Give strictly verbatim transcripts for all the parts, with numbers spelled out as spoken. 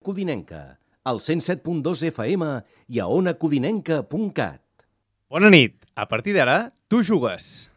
Codinenca, al cent set punt dos F M i a ona codinenca punt cat. Bona nit. A partir d'ara, tu jugues.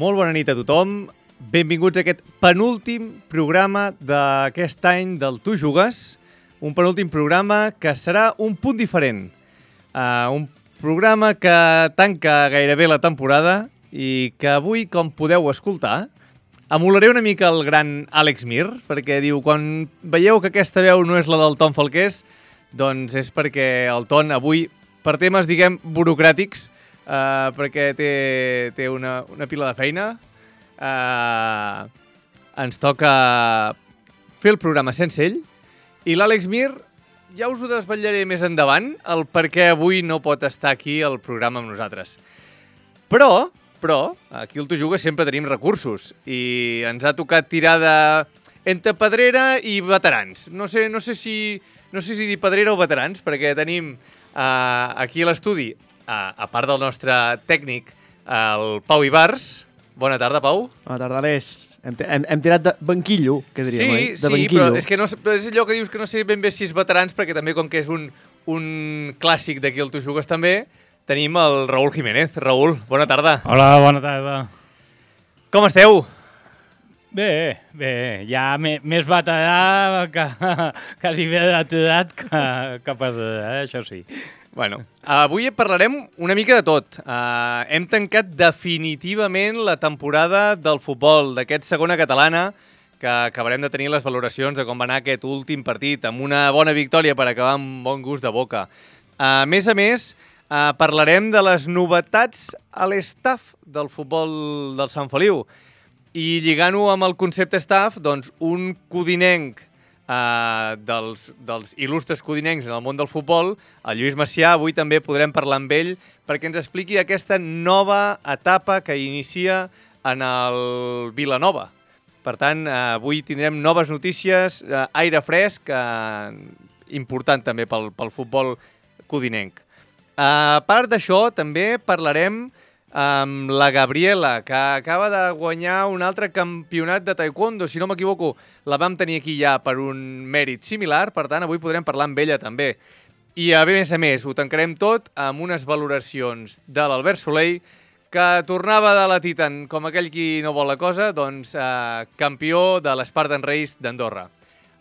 Molt bona nit a tothom. Benvinguts a aquest penúltim programa d'aquest any del Tu Jugues. Un penúltim programa que serà un punt diferent. Uh, un programa que tanca gairebé la temporada i que avui, com podeu escoltar, emularé una mica el gran Àlex Mir, perquè diu, quan veieu que aquesta veu no és la del Ton Falqués, doncs és perquè el Ton avui, per temes, diguem, burocràtics, Uh, perquè té, té una, una pila de feina. Uh, ens toca fer el programa sense ell. I l'Àlex Mir, ja us ho desvetllaré més endavant, el per què avui no pot estar aquí al programa amb nosaltres. Però, però, aquí al Tu Jugues sempre tenim recursos i ens ha tocat tirar de entre pedrera i veterans. No sé, no sé, si, no sé si dir pedrera o veterans, perquè tenim uh, aquí a l'estudi, A, a part del nostre tècnic, el Pau Ibars. Bona tarda, Pau. Bona tarda, Aleix. Hem, hem, hem tirat de banquillo, que diríem, sí, oi? De sí, banquillo. Però és que no, és allò que dius que no sé ben bé si és veterans, perquè també, com que és un, un clàssic d'aquí al Tu Jugues també, tenim el Raül Jiménez. Raül, bona tarda. Hola, bona tarda. Com esteu? Bé, bé, ja me, més veterà que quasi bé d'edat que, que pedrera, eh? Això sí. Bueno, avui parlarem una mica de tot. Uh, hem tancat definitivament la temporada del futbol d'aquest segona catalana, que acabarem de tenir les valoracions de com va anar aquest últim partit, amb una bona victòria per acabar amb bon gust de boca. Uh, a més a més, uh, parlarem de les novetats a l'estaf del futbol del Sant Feliu. I lligant-ho amb el concepte staff, doncs un codinenc Uh, dels, dels il·lustres codinencs en el món del futbol, el Lluís Macià. Avui també podrem parlar amb ell perquè ens expliqui aquesta nova etapa que inicia en el Vilanova. Per tant, uh, avui tindrem noves notícies, uh, aire fresc, uh, important també pel, pel futbol codinenc. Uh, a part d'això, també parlarem amb la Gabriela, que acaba de guanyar un altre campionat de taekwondo, si no m'equivoco, la vam tenir aquí ja per un mèrit similar, per tant, avui podrem parlar amb ella també. I a més a més, ho tancarem tot amb unes valoracions de l'Albert Soleil, que tornava de la Titan, com aquell qui no vol la cosa, doncs eh, campió de l'Spartan Race d'Andorra.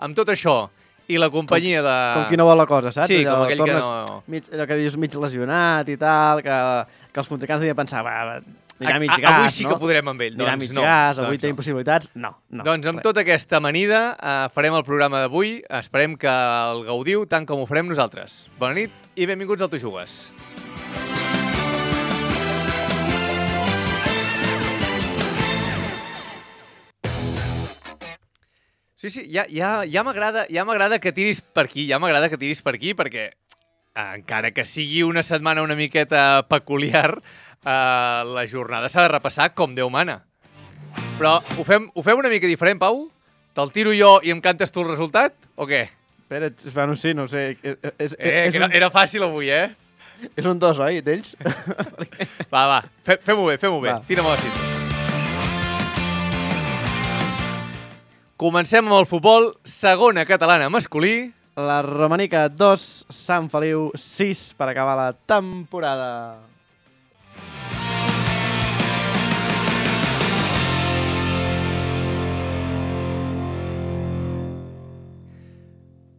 Amb tot això, i la companyia com, de... Com qui no vol la cosa, saps? Sí, allò, com aquell tornes, que no... Mig, allò que dius mig lesionat i tal, que, que els contrincants devien pensar, va, va anirà A, mig a, gas, avui sí no? que podrem amb ell. Anirà Doncs mig no. gas, avui doncs tenim no. possibilitats. No, no. Doncs amb res. tota aquesta amanida eh, farem el programa d'avui. Esperem que el gaudiu tant com ho farem nosaltres. Bona nit i benvinguts al Tu Jugues. Sí, sí, ja, ja, ja m'agrada ja m'agrada que tiris per aquí, ja m'agrada que tiris per aquí, perquè eh, encara que sigui una setmana una miqueta peculiar, eh, la jornada s'ha de repassar com Déu mana. Però ho fem, ho fem una mica diferent, Pau? Te'l tiro jo i em cantes tu el resultat, o què? Espera, bueno, sí, no ho sé. És, és, Eh, és, que era, un, era fàcil avui, eh? és un dos, oi, d'ells? Va, va, fe, fem-ho bé, fem-ho bé. Va. Tira'm a la cinta. Comencem amb el futbol, segona catalana masculí. La Romanica dos, Sant Feliu sis per acabar la temporada.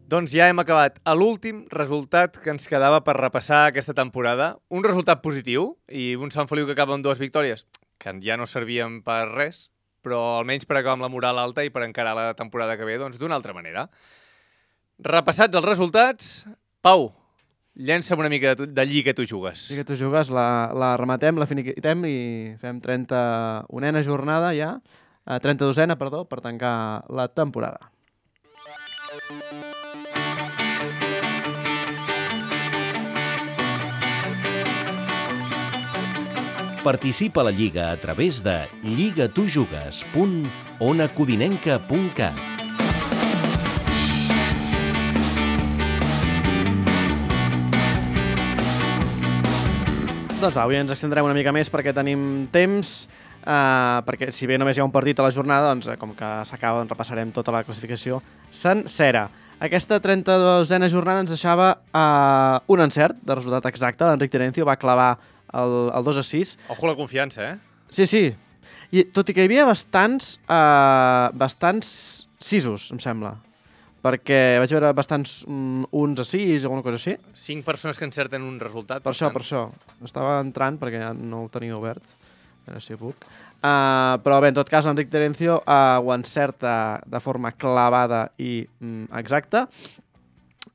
Doncs ja hem acabat l'últim resultat que ens quedava per repassar aquesta temporada. Un resultat positiu i un Sant Feliu que acaba amb dues victòries, que ja no servien per res, però almenys per acabar amb la moral alta i per encarar la temporada que ve, doncs d'una altra manera. Repassats els resultats, Pau, llença'm una mica de, de Lliga tu jugues. Lliga tu jugues, la, la rematem, la finiquitem i fem trenta-unena jornada ja, eh, trenta-dosena, perdó, per tancar la temporada. Participa a la Lliga a través de lligatujugues punt ona codinenca punt cat. Doncs va, avui ens extendrem una mica més perquè tenim temps, eh, perquè si bé només hi ha un partit a la jornada, doncs com que s'acaba, doncs repassarem tota la classificació sencera. Aquesta trenta-dosena jornada ens deixava eh, un encert de resultat exacte. L'Enric Terencio va clavar el, el dos a sis. Ojo la confiança, eh? Sí, sí. I tot i que hi havia bastants, eh, bastants sisos, em sembla. Perquè vaig veure bastants um, uns a sis o alguna cosa així. Cinc persones que encerten un resultat. Per, per això, tant. per això. Estava entrant perquè ja no el tenia obert. A veure si puc. Uh, però bé, en tot cas, l'Enric Terencio uh, ho encerta de forma clavada i um, exacta.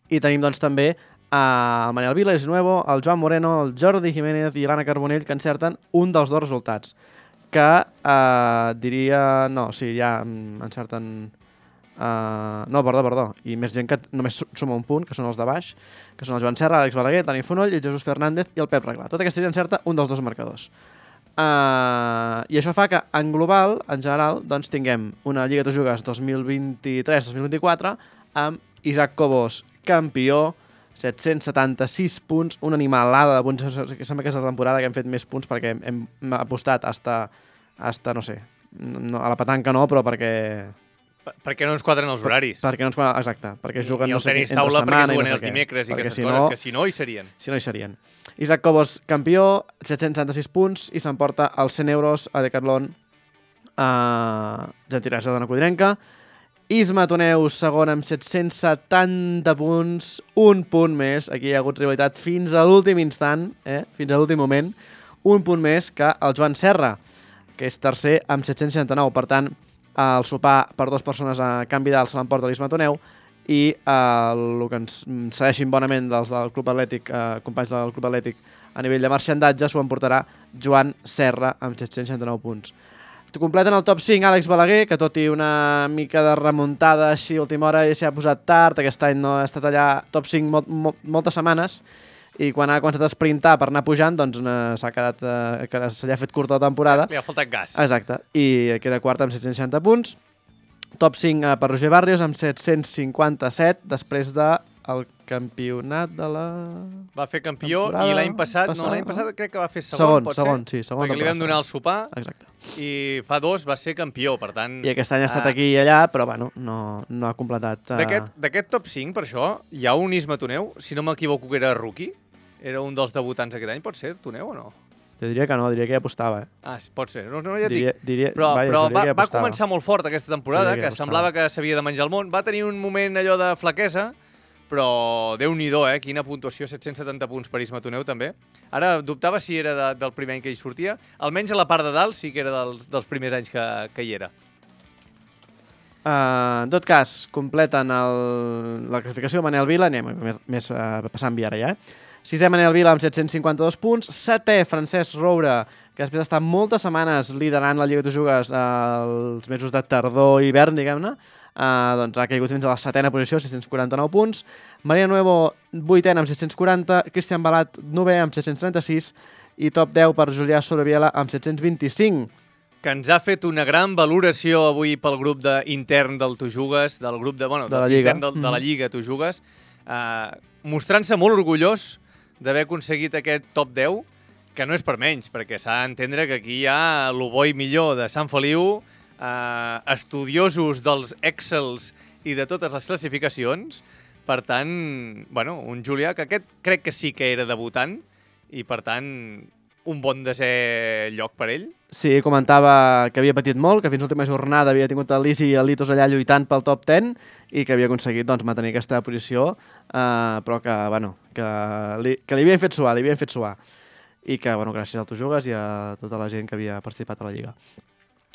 I tenim doncs també uh, el Manel Vila, el Nuevo, el Joan Moreno, el Jordi Jiménez i l'Anna Carbonell, que encerten un dels dos resultats. Que uh, diria... No, sí, ja um, encerten... Uh, no, perdó, perdó. I més gent que només suma un punt, que són els de baix, que són el Joan Serra, l'Àlex Balaguer, Dani Fonoll, el Jesús Fernández i el Pep Reglà. Tota aquesta gent encerta un dels dos marcadors. Uh, I això fa que, en global, en general, doncs tinguem una Lliga de Jugues dos mil vint-i-tres dos mil vint-i-quatre amb Isaac Cobos, campió, set-cents setanta-sis punts, una animalada de punts. Sembla que és la temporada que hem fet més punts perquè hem, hem apostat hasta, hasta, no sé, no, a la petanca no, però perquè... Perquè no ens quadren els horaris. Per, perquè no ens quadren, exacte. Perquè juguen, I el no sé, tenis entre taula setmana perquè juguen i no sé els dimecres i aquestes si coses, no, que si no hi serien. Si no hi serien. Isaac Cobos, campió, set-cents setanta-sis punts i s'emporta els cent euros a Decathlon a Gentilesa de la Codinenca. Isma Toneu, segon amb set-cents setanta punts, un punt més. Aquí hi ha hagut rivalitat fins a l'últim instant, eh? fins a l'últim moment. Un punt més que el Joan Serra, que és tercer amb set-cents seixanta-nou. Per tant, el sopar per dues persones a canvi d'alt se l'emporta l'Isma Toneu i eh, el que ens segueixin bonament dels del Club Atlètic, eh, companys del Club Atlètic a nivell de marxandatge, s'ho emportarà Joan Serra amb set-cents seixanta-nou punts. Completen el top cinc Àlex Balaguer, que tot i una mica de remuntada així a última hora s'hi ha posat tard, aquest any no ha estat allà top cinc molt, molt, moltes setmanes, i quan ha començat a sprintar per anar pujant, doncs s'ha quedat, eh, que se li ha fet curta la temporada. Li ha faltat gas. Exacte, i queda quart amb set-cents seixanta punts. Top cinc eh, per Roger Barrios amb set-cents cinquanta-set, després del campionat de la... Va fer campió i l'any passat, passada, no, l'any passat crec que va fer segon, segon pot segon, ser? Sí, segon, perquè li vam donar el sopar. Exacte. I fa dos va ser campió, per tant... I aquest any ha estat ah, aquí i allà, però bueno, no, no ha completat... Uh... D'aquest top cinc, per això, hi ha un Isma Toneu, si no m'equivoco que era rookie, era un dels debutants aquest any, pot ser, Toneu o no? Jo diria que no, diria que ja apostava. Eh? Ah, pot ser, no, no ja diria, dic. Diria, però vaja, però va, ja va començar molt fort aquesta temporada, que, que semblava que s'havia de menjar el món. Va tenir un moment allò de flaquesa, però Déu-n'hi-do, eh? Quina puntuació, set-cents setanta punts per Isma Toneu, també. Ara dubtava si era de, del primer any que hi sortia. Almenys a la part de dalt sí que era dels, dels primers anys que, que hi era. Uh, en tot cas, completen el, la classificació Manel Vila, anem més, més uh, passant via ara ja, eh? Sisè Manel Vila amb set-cents cinquanta-dos punts, setè Francesc Roure, que després d'estar moltes setmanes liderant la Lliga de Jugues els mesos de tardor i hivern, diguem-ne, uh, doncs ha caigut fins a la setena posició, sis-cents quaranta-nou punts. Maria Nuevo, vuitena amb set-cents quaranta, Cristian Balat, novè amb set-cents trenta-sis i top deu per Julià Sobreviela amb set-cents vint-i-cinc. Que ens ha fet una gran valoració avui pel grup de, intern del Tu Jugues, del grup de, bueno, de, la Lliga. De, de la Lliga Tu Jugues, uh, mostrant-se molt orgullós d'haver aconseguit aquest top deu, que no és per menys, perquè s'ha d'entendre que aquí hi ha el bo i millor de Sant Feliu, eh, estudiosos dels Excels i de totes les classificacions. Per tant, bueno, un Julià que aquest crec que sí que era debutant i, per tant, un bon desè lloc per ell. Sí, comentava que havia patit molt, que fins l'última jornada havia tingut el Lisi i el Litos allà lluitant pel top deu i que havia aconseguit doncs, mantenir aquesta posició, eh, però que, bueno, que, li, que li havien fet suar, li havien fet suar. I que, bueno, gràcies al Tu Jugues i a tota la gent que havia participat a la Lliga.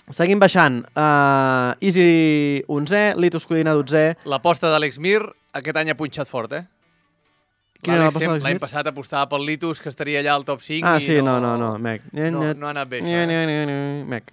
Seguim baixant. Uh, Easy onzè, Litos Codina dotzè. L'aposta d'Àlex Mir aquest any ha punxat fort, eh? Quina era L'Àlex l'aposta de sempre- l'any l'Smith? passat apostava pel Litus, que estaria allà al top cinc. Ah, i sí, no, no, no, no, mec. No, no ha anat bé, això. Nye, Eh? nye, nye, nye, mec.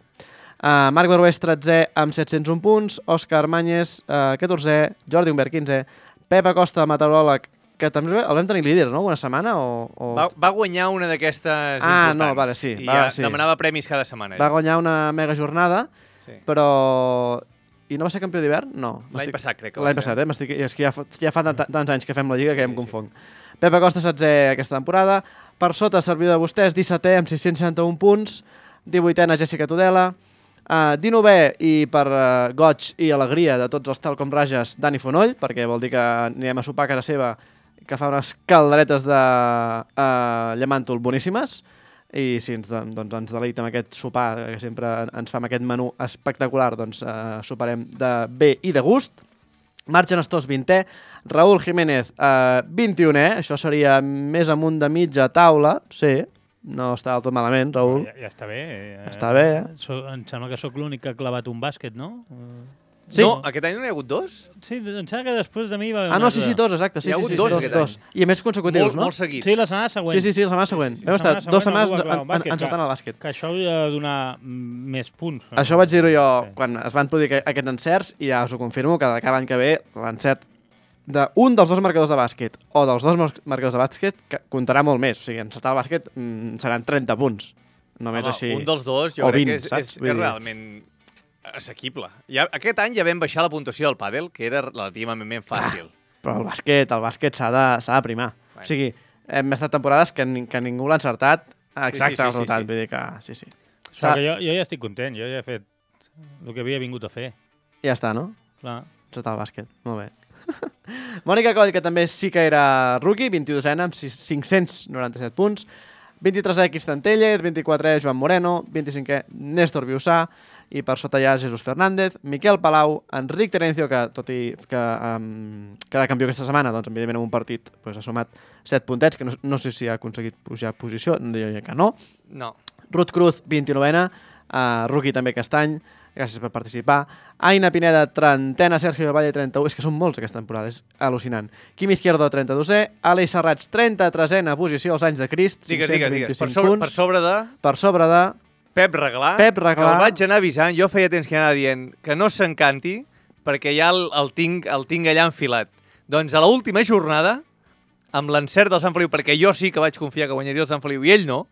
Uh, Marc Barberès, tretzè, amb set-cents un punts. Òscar Manyes, uh, catorzè. Jordi Humbert, quinzè. Pep Acosta, meteoròleg, que també el vam tenir líder, no? Una setmana o... o... Va, va guanyar una d'aquestes Ah, importants. no, vale, sí, I va, ja sí. demanava premis cada setmana. Va ell. guanyar una mega jornada, Sí. però... I no va ser campió d'hivern? No. L'any m'estic- passat, crec que va L'any ser. passat, eh? M'estic... És que ja fa, ja fa tant- tants anys que fem la Lliga que ja em Sí, confonc. Pep Acosta, setzè aquesta temporada. Per sota, servidor de vostès, dissetè amb sis-cents seixanta-un punts. divuitena, Jessica Tudela. Uh, dinovè, i per uh, goig i alegria de tots els tal com rages, Dani Fonoll, perquè vol dir que anirem a sopar a casa seva, que fa unes calderetes de uh, llamàntol boníssimes. I si ens, doncs, ens deleita amb aquest sopar, que sempre ens fa amb aquest menú espectacular, doncs uh, soparem de bé i de gust. Marc Genestós, vintè. Raúl Jiménez, eh, vint-i-unè. Això seria més amunt de mitja taula. Sí, no està del tot malament, Raúl. Ja, ja està bé. Eh? Està bé, eh? So, em sembla que sóc l'únic que ha clavat un bàsquet, no? Eh, Sí. No, aquest any no hi ha hagut dos? Sí, em sembla que després de mi va haver Ah, un no, sí, altre. sí, dos, exacte. Sí, Hi ha sí, hagut sí, dos dos, aquest dos. I a més consecutius, Molt, no? molt seguits. Sí, la setmana següent. Sí, sí, sí, la setmana següent. sí, Vam la estar setmana dues següent setmanes algú va clavar un en- bàsquet, encertant clar. el bàsquet. Que això hauria de donar mm, més punts. no? Això vaig dir-ho jo Sí. quan es van produir aqu- aquests encerts i ja us ho confirmo que de cada any que ve l'encert d'un dels dos marcadors de bàsquet o dels dos mar- marcadors de bàsquet que comptarà molt més. O sigui, encertar el bàsquet mm, seran trenta punts. Només Home, així. Un dels dos jo O crec vint, que és, saps? és, Vull és dir- realment assequible. Ja, aquest any ja vam baixar la puntuació del pàdel, que era relativament fàcil. Però el bàsquet, el bàsquet s'ha de, s'ha de primar. Bueno. O sigui, hem estat temporades que, ni, que ningú l'ha encertat exacte Sí, sí, sí, el sí, resultat. sí. Vull dir que, sí, sí. Però que jo, jo ja estic content, jo ja he fet el que havia vingut a fer. Ja està, no? Clar. Encertar el bàsquet. Molt bé. Mònica Coll, que també sí que era rookie, vint-i-dosena amb sis- cinc-cents noranta-set punts. vint-i-tresè, Cristian Tellez, vint-i-quatrè, Joan Moreno, vint-i-cinquè, Néstor Biusà, i per sota ja Jesús Fernández, Miquel Palau, Enric Terencio, que tot i que um, cada campió aquesta setmana, doncs evidentment en un partit pues, ha sumat set puntets, que no, no sé si ha aconseguit pujar posició, diria que no. No. Ruth Cruz, vint-i-novena, uh, rookie també aquest any, gràcies per participar. Aina Pineda, trentena, Sergio Valle, trenta-u, és que són molts aquesta temporada, és al·lucinant. Quim Izquierdo, trenta-dosè, Aleix Serrats, trenta-tresena posició als anys de Crist, Digues, digues, digues. Per cinc-cents vint-i-cinc sobre, punts. per sobre de Per sobre de... Pep Reglà, Pep Reglà. que el vaig anar avisant, jo feia temps que anava dient que no s'encanti, perquè ja el, el, tinc, el tinc allà enfilat. Doncs a l'última jornada, amb l'encert del Sant Feliu, perquè jo sí que vaig confiar que guanyaria el Sant Feliu i ell no,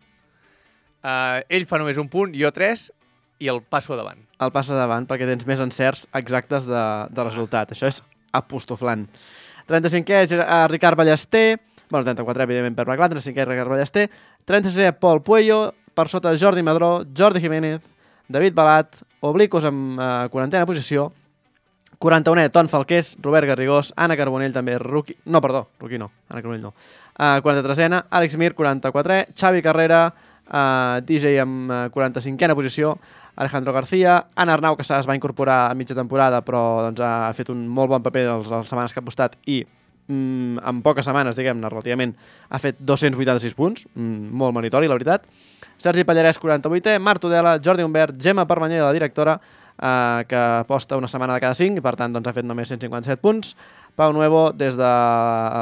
eh, ell fa només un punt, jo tres, i el passo a davant. El passa davant perquè tens més encerts exactes de, de resultat. Això és apostoflant. trenta-cinquè, Ger- eh, Ricard Ballester, bueno, trenta-quatre, evidentment, per Reglà, trenta-cinquè, Ricard Ballester, trenta-sisè, Pol Puello, per sota Jordi Madró, Jordi Jiménez, David Balat, Obliquos amb eh, quarantena posició, quaranta-unè, Ton Falqués, Robert Garrigós, Anna Carbonell també, rookie... No, perdó, rookie no, Anna Carbonell no. Uh, quaranta-tresena, Àlex Mir, quaranta-quatrè, Xavi Carrera, uh, D J amb uh, quaranta-cinquena posició, Alejandro García, Anna Arnau, que es va incorporar a mitja temporada, però doncs, ha fet un molt bon paper les, les setmanes que ha apostat i mm, en poques setmanes, diguem-ne, relativament, ha fet dos-cents vuitanta-sis punts, mm, molt meritori, la veritat. Sergi Pallarès, quaranta-vuitè, Marc Tudela, Jordi Humbert, Gemma Permanyer, la directora, eh, que aposta una setmana de cada cinc i per tant doncs, ha fet només cent cinquanta-set punts. Pau Nuevo, des de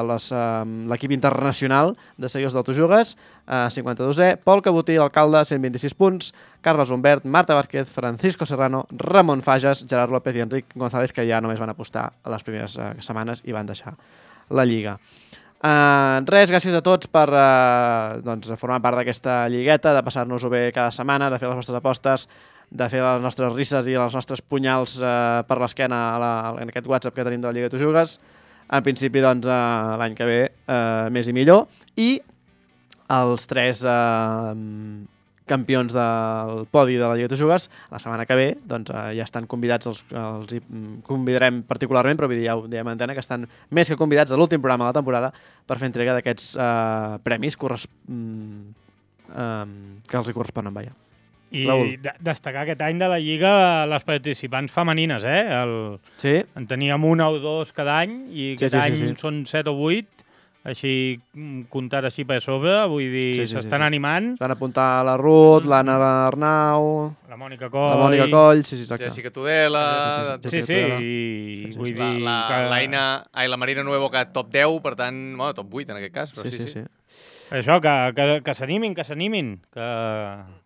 les, eh, l'equip internacional de seguidors d'Autojugues, eh, cinquanta-dosè, Pol Cabotí, alcalde, cent vint-i-sis punts, Carles Humbert, Marta Vázquez, Francisco Serrano, Ramon Fages, Gerard López i Enric González, que ja només van apostar a les primeres eh, setmanes i van deixar la Lliga. Uh, res, gràcies a tots per uh, doncs, formar part d'aquesta lligueta, de passar-nos-ho bé cada setmana, de fer les vostres apostes, de fer les nostres risses i els nostres punyals uh, per l'esquena a la, en aquest WhatsApp que tenim de la Lliga de Tu Jugues. En principi, doncs, uh, l'any que ve uh, més i millor. I els tres uh, campions del podi de la Lliga de Tu Jugues, la setmana que ve doncs, uh, ja estan convidats, els, els hi convidarem particularment, però vull dir, ja ho diem a antena, que estan més que convidats a l'últim programa de la temporada per fer entrega d'aquests uh, premis corres... um, um, que els hi corresponen, vaja. I Raül. de destacar aquest any de la Lliga les participants femenines, eh? El... Sí? En teníem una o dos cada any i Sí, aquest sí, sí, any sí. són set o vuit. així comptat així per sobre, vull dir, Sí, sí, sí, s'estan sí. animant. Van apuntar la Ruth, l'Anna Arnau, La Mònica Coll. la Mònica Coll, sí, sí, exacte. Jessica Tudela... Sí, Sí, sí, sí, Tudela. i Sí, sí, vull sí. La, dir... la, que... l'Aina, ai, la Marina Nuevo, que top deu, per tant, bueno, top vuit en aquest cas. Però Sí, sí, sí. Això, que, que, que s'animin, que s'animin, que,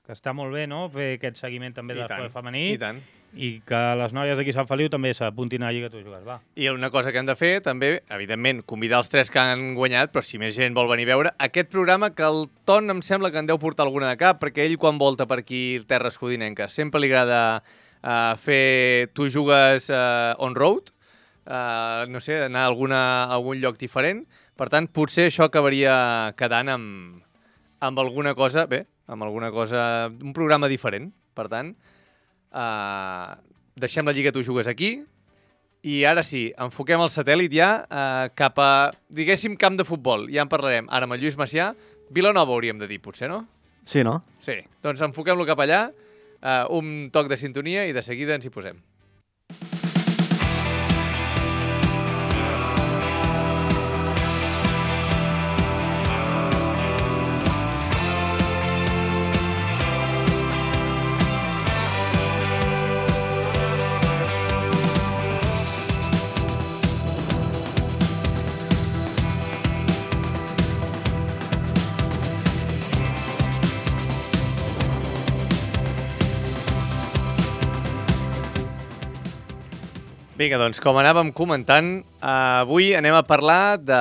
que està molt bé, no?, fer aquest seguiment també I de tant, l'esport femení. i tant. I que les noies d'aquí Sant Feliu també s'apuntin a la Lliga Tu Jugues, va. I una cosa que hem de fer, també, evidentment, convidar els tres que han guanyat, però si més gent vol venir a veure, aquest programa que el Ton em sembla que en deu portar alguna de cap, perquè ell, quan volta per aquí terres codinenques, sempre li agrada uh, fer Tu Jugues uh, on road, uh, no sé, anar a, alguna, a algun lloc diferent. Per tant, potser això acabaria quedant amb, amb alguna cosa, bé, amb alguna cosa, un programa diferent. Per tant, Uh, deixem la Lliga Tu Jugues aquí i ara sí, enfoquem el satèl·lit ja uh, cap a, diguéssim, camp de futbol. Ja en parlarem ara amb el Lluís Macià. Vilanova hauríem de dir, potser, no? Sí, no? Sí, doncs enfoquem-lo cap allà, uh, un toc de sintonia i de seguida ens hi posem. Vinga, doncs, com anàvem comentant, eh, avui anem a parlar de,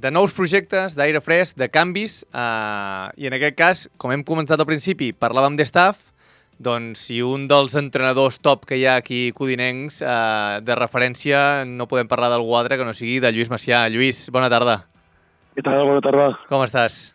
de nous projectes, d'aire fresc, de canvis, eh, i en aquest cas, com hem comentat al principi, parlàvem de staff, doncs si un dels entrenadors top que hi ha aquí codinencs eh, de referència, no podem parlar d'algú altre que no sigui de Lluís Macià. Lluís, bona tarda. Què tal? Bona tarda. Com estàs?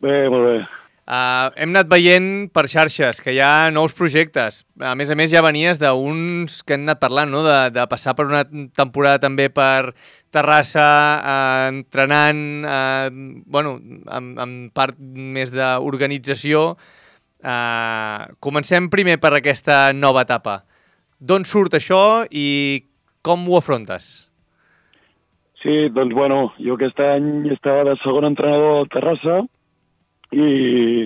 Bé, molt bé. Uh, hem anat veient per xarxes que hi ha nous projectes. A més a més, ja venies d'uns que hem anat parlant, no? de, de passar per una temporada també per Terrassa, uh, entrenant, uh, bueno, amb, amb part més d'organització. Uh, comencem primer per aquesta nova etapa. D'on surt això i com ho afrontes? Sí, doncs, bueno, jo aquest any estava de segon entrenador al Terrassa, i,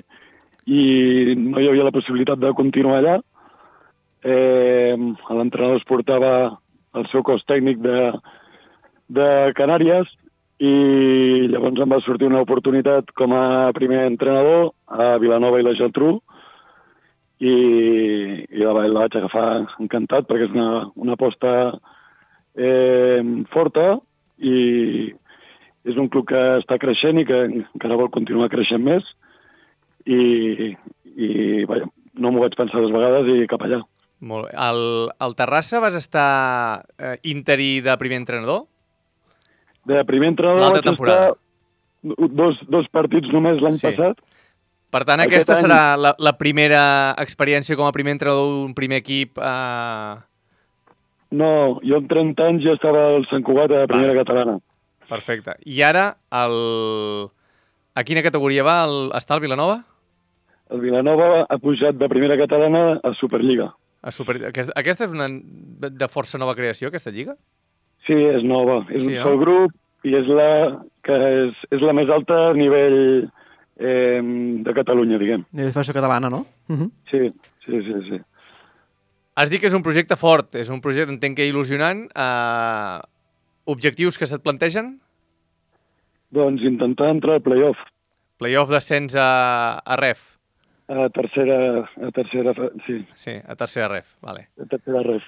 i no hi havia la possibilitat de continuar allà. Eh, L'entrenador es portava el seu cos tècnic de, de Canàries i llavors em va sortir una oportunitat com a primer entrenador a Vilanova i la Geltrú i, i la, la vaig agafar encantat perquè és una, una aposta eh, forta i és un club que està creixent i que encara vol continuar creixent més i, i vaja, no m'ho vaig pensar dues vegades i cap allà. Molt bé. Al, al Terrassa vas estar eh, interí de primer entrenador? De primer entrenador L'altra vaig temporada. estar dos, dos partits només l'any Sí. passat. Per tant, Aquest aquesta any- serà la, la primera experiència com a primer entrenador d'un primer equip. Eh... No, jo amb trenta anys ja estava al Sant Cugat a primera Vale. catalana. Perfecte. I ara, el... a quina categoria va el... està el Vilanova? El Vilanova ha pujat de primera catalana a Superliga. A super... Aquesta, aquesta és una de força nova creació, aquesta lliga? Sí, és nova. És Sí, un no? sol grup i és la, que és, és la més alta a nivell eh, de Catalunya, diguem. Nivell de federació catalana, no? Uh -huh. Sí, sí, sí, sí. Has dit que és un projecte fort, és un projecte, entenc que il·lusionant. Eh... Objectius que se't plantegen? Doncs intentar entrar al play-off. Playoff d'ascens a, a ref. A tercera, a tercera, sí, Sí, a tercera ref, vale. a tercera ref.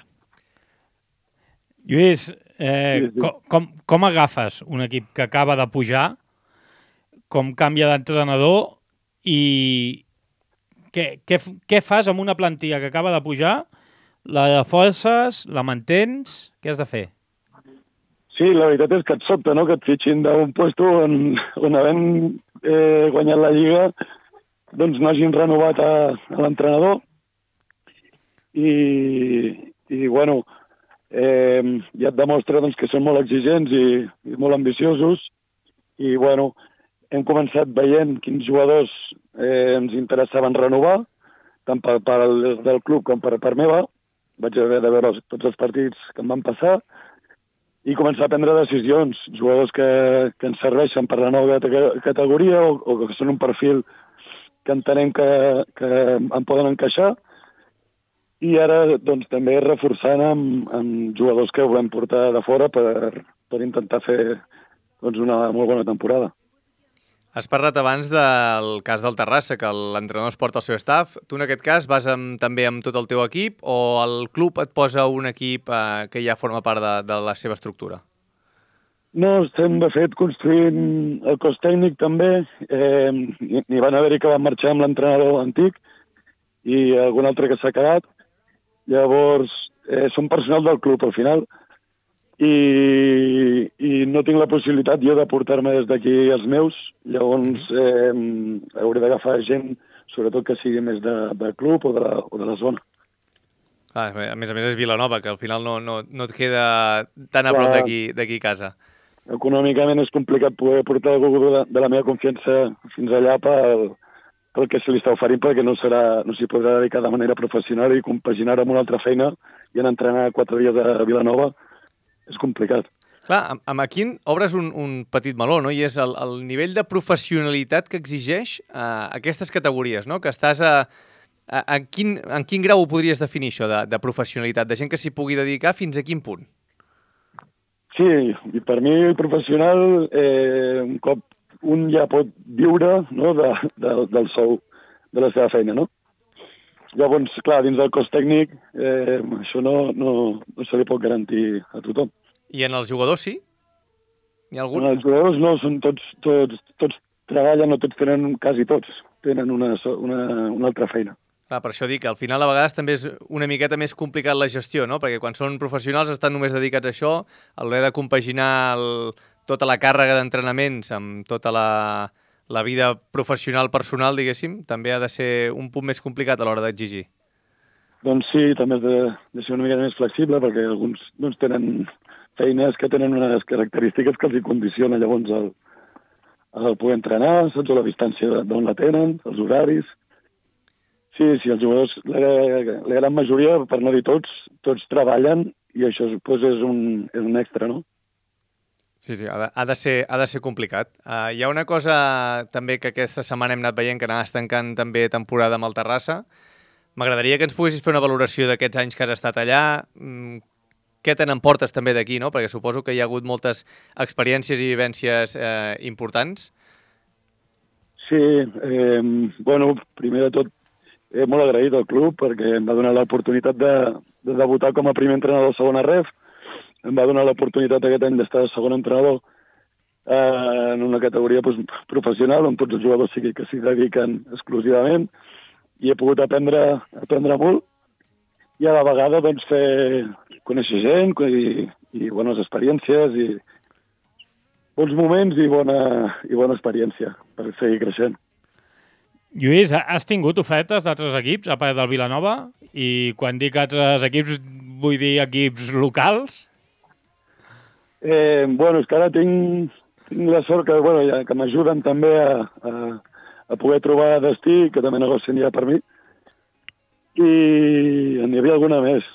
Lluís, eh, Sí, sí. com, com, com agafes un equip que acaba de pujar, com canvia d'entrenador i què, què, f- què fas amb una plantilla que acaba de pujar, la de forces, la mantens, què has de fer? Sí, la veritat és que et sobta, no?, que et fitxin d'un puesto on, on havent eh, guanyat la Lliga doncs no hagin renovat a, a l'entrenador i, i bueno, eh, ja et demostra doncs, que són molt exigents i, i molt ambiciosos i bueno, hem començat veient quins jugadors eh, ens interessaven renovar, tant per, per el, del club com per part meva. Vaig haver de veure tots els partits que em van passar i començar a prendre decisions, jugadors que, que ens serveixen per la nova categoria o, o que són un perfil que entenem que, que en poden encaixar, i ara doncs, també reforçant amb, amb jugadors que volem portar de fora per, per intentar fer doncs, una molt bona temporada. Has parlat abans del cas del Terrassa, que l'entrenador es porta el seu staff. Tu, en aquest cas, vas amb, també amb tot el teu equip o el club et posa un equip eh, que ja forma part de, de la seva estructura? No, estem, de fet, construint el cos tècnic també. Eh, N'hi van haver-hi que van marxar amb l'entrenador antic i algun altre que s'ha quedat. Llavors, eh, som personal del club, al final, i, i no tinc la possibilitat jo de portar-me des d'aquí els meus, llavors eh, hauré d'agafar gent, sobretot que sigui més de, de club o de, la, o de la zona. Ah, a més a més és Vilanova, que al final no, no, no et queda tan a prop d'aquí d'aquí a casa. Econòmicament és complicat poder portar algú de la, de la meva confiança fins allà pel, pel que se li està oferint, perquè no serà, no s'hi podrà dedicar de manera professional i compaginar amb una altra feina i anar a entrenar quatre dies a Vilanova és complicat. Clar, amb, amb aquí obres un, un petit meló, no? I és el, el nivell de professionalitat que exigeix eh, aquestes categories, no? Que estàs a... a, a quin, en quin grau ho podries definir, això, de, de professionalitat? De gent que s'hi pugui dedicar fins a quin punt? Sí, i per mi professional, eh, un cop un ja pot viure, no, de, de, del sou, de la seva feina, no? Llavors, clar, dins del cos tècnic, eh, això no, no, no se li pot garantir a tothom. I en els jugadors sí? N'hi ha algun? En els jugadors no, són tots, tots, tots treballen, no tots tenen, quasi tots, tenen una, una, una altra feina. Clar, per això dic que al final a vegades també és una miqueta més complicat la gestió, no? Perquè quan són professionals estan només dedicats a això, a l'hora de compaginar el, tota la càrrega d'entrenaments amb tota la, la vida professional personal, diguéssim, també ha de ser un punt més complicat a l'hora d'exigir. Doncs sí, també has de, de ser una mica més flexible, perquè alguns doncs, tenen feines que tenen unes característiques que els hi condiciona llavors el, el poder entrenar, saps, o la distància d'on la tenen, els horaris. Sí, sí, els jugadors, la, la gran majoria, per no dir tots, tots treballen i això doncs, és, un, és un extra, no? Sí, sí, ha de, ha de, ser, ha de ser complicat. Uh, hi ha una cosa també que aquesta setmana hem anat veient, que anaves tancant també temporada amb el Terrassa. M'agradaria que ens poguessis fer una valoració d'aquests anys que has estat allà. Mm, què te n'emportes també d'aquí, no? Perquè suposo que hi ha hagut moltes experiències i vivències eh, importants. Sí, eh, bueno, primer de tot, eh, molt agraït al club perquè em va donar l'oportunitat de, de debutar com a primer entrenador de segona ref. Em va donar l'oportunitat aquest any d'estar de segon entrenador eh, en una categoria pues, professional on tots els jugadors sí que s'hi dediquen exclusivament i he pogut aprendre, aprendre molt i a la vegada doncs, fer conèixer gent i, i bones experiències i bons moments i bona, i bona experiència per seguir creixent. Lluís, has tingut ofertes d'altres equips, a part del Vilanova? I quan dic altres equips, vull dir equips locals? Eh, bueno, és que ara tinc, tinc la sort que, bueno, ja, que m'ajuden també a, a, a poder trobar destí, que també negocien ja per mi. I n'hi havia alguna més.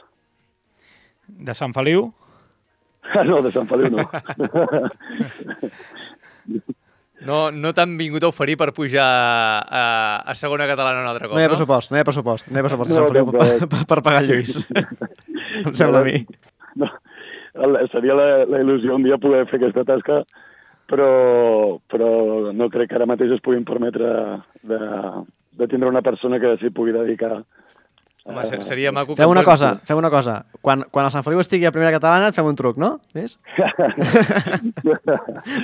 De Sant Feliu? Ah, no, de Sant Feliu no. No, no t'han vingut a oferir per pujar a, a segona catalana un altre cop, no? Hi ha no? pressupost, no hi ha pressupost. No hi ha pressupost No, de Sant Feliu no, per, per, per pagar el Lluís. Em sembla a mi. No, seria la, la il·lusió un dia poder fer aquesta tasca, però, però no crec que ara mateix es puguin permetre de, de tindre una persona que s'hi pugui dedicar. Home, seria maco... Fem una cosa, fem una cosa. Quan, quan el Sant Feliu estigui a primera catalana et fem un truc, no? Ves?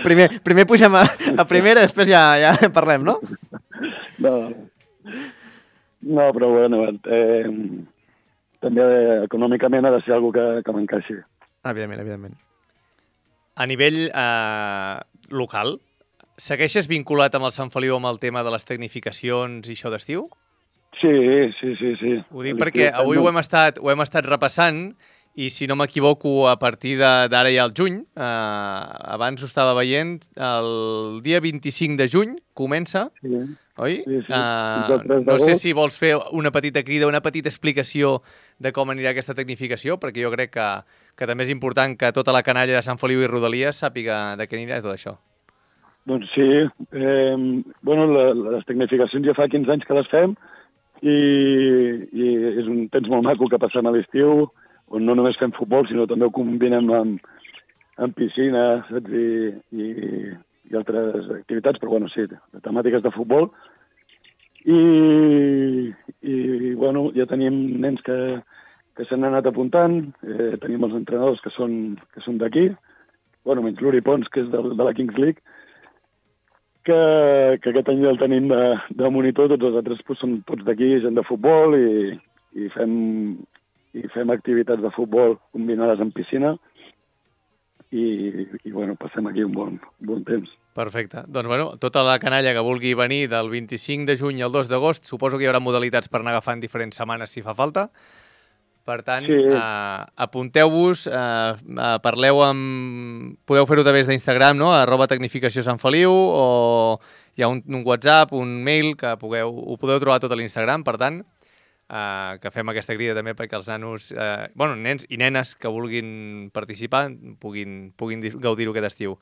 primer, primer pugem a, a primera, després ja, ja parlem, no? No, no però bueno, eh, també eh, econòmicament ha de ser alguna que, que m'encaixi. Evidentment, evidentment. A nivell eh, local, segueixes vinculat amb el Sant Feliu amb el tema de les tecnificacions i això d'estiu? Sí, sí, sí, sí. Ho dic perquè avui ho hem estat, ho hem estat repassant i si no m'equivoco, a partir d'ara ja al juny, eh, abans ho estava veient, el dia vint-i-cinc de juny comença, Sí, oi? sí, sí. Uh, Fins al tres no sé d'agost. si vols fer una petita crida, una petita explicació de com anirà aquesta tecnificació, perquè jo crec que, que també és important que tota la canalla de Sant Feliu i Rodalies sàpiga de què anirà tot això. Doncs sí, eh, bueno, la, les tecnificacions ja fa quinze anys que les fem i, i és un temps molt maco que passem a l'estiu, on no només fem futbol, sinó també ho combinem amb, amb piscina, saps? I, i, i altres activitats, però bueno, sí, de temàtiques de futbol. I, i bueno, ja tenim nens que, que s'han anat apuntant, eh, tenim els entrenadors que són, que són d'aquí, bueno, menys l'Uri Pons, que és de, de la Kings League, que, que aquest any ja el tenim de, de monitor, tots els altres pues, són tots d'aquí, gent de futbol, i, i fem i fem activitats de futbol combinades amb piscina i, i bueno, passem aquí un bon, bon temps. Perfecte. Doncs, bueno, tota la canalla que vulgui venir del vint-i-cinc de juny al dos d'agost, suposo que hi haurà modalitats per anar agafant diferents setmanes si fa falta. Per tant, sí. eh, apunteu-vos, eh, eh, parleu amb... Podeu fer-ho a través d'Instagram, no? arroba tecnificació Sant Feliu, o hi ha un, un WhatsApp, un mail, que pugueu, ho podeu trobar tot a l'Instagram, per tant, Uh, que fem aquesta crida també perquè els nanos, uh, bueno, nens i nenes que vulguin participar puguin, puguin gaudir-ho aquest estiu.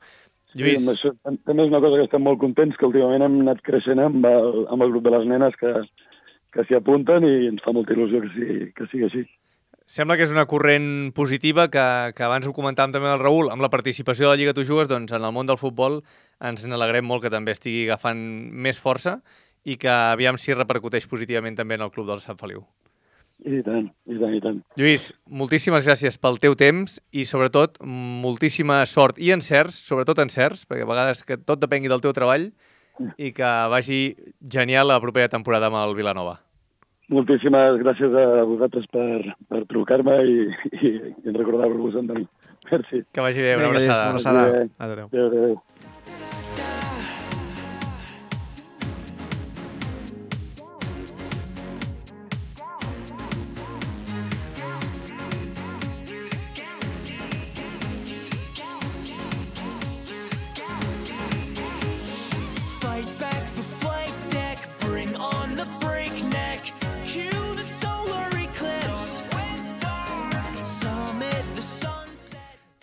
Lluís. Sí, això, també és una cosa que estem molt contents, que últimament hem anat creixent amb el, amb el grup de les nenes que, que s'hi apunten i ens fa molta il·lusió que sigui, que sigui així. Sembla que és una corrent positiva que, que abans ho comentàvem també amb el Raül, amb la participació de la Lliga Tu Jugues, doncs en el món del futbol ens n'alegrem molt que també estigui agafant més força i que aviam si repercuteix positivament també en el club del Sant Feliu. I tant, i tant, i tant. Lluís, moltíssimes gràcies pel teu temps i sobretot moltíssima sort i encerts, sobretot encerts, perquè a vegades que tot depengui del teu treball i que vagi genial la propera temporada amb el Vilanova. Moltíssimes gràcies a vosaltres per, per trucar-me i, i, i recordar-vos de mi. Merci. Que vagi bé, una Vinga, abraçada. Una abraçada. Adéu. Adéu, adéu.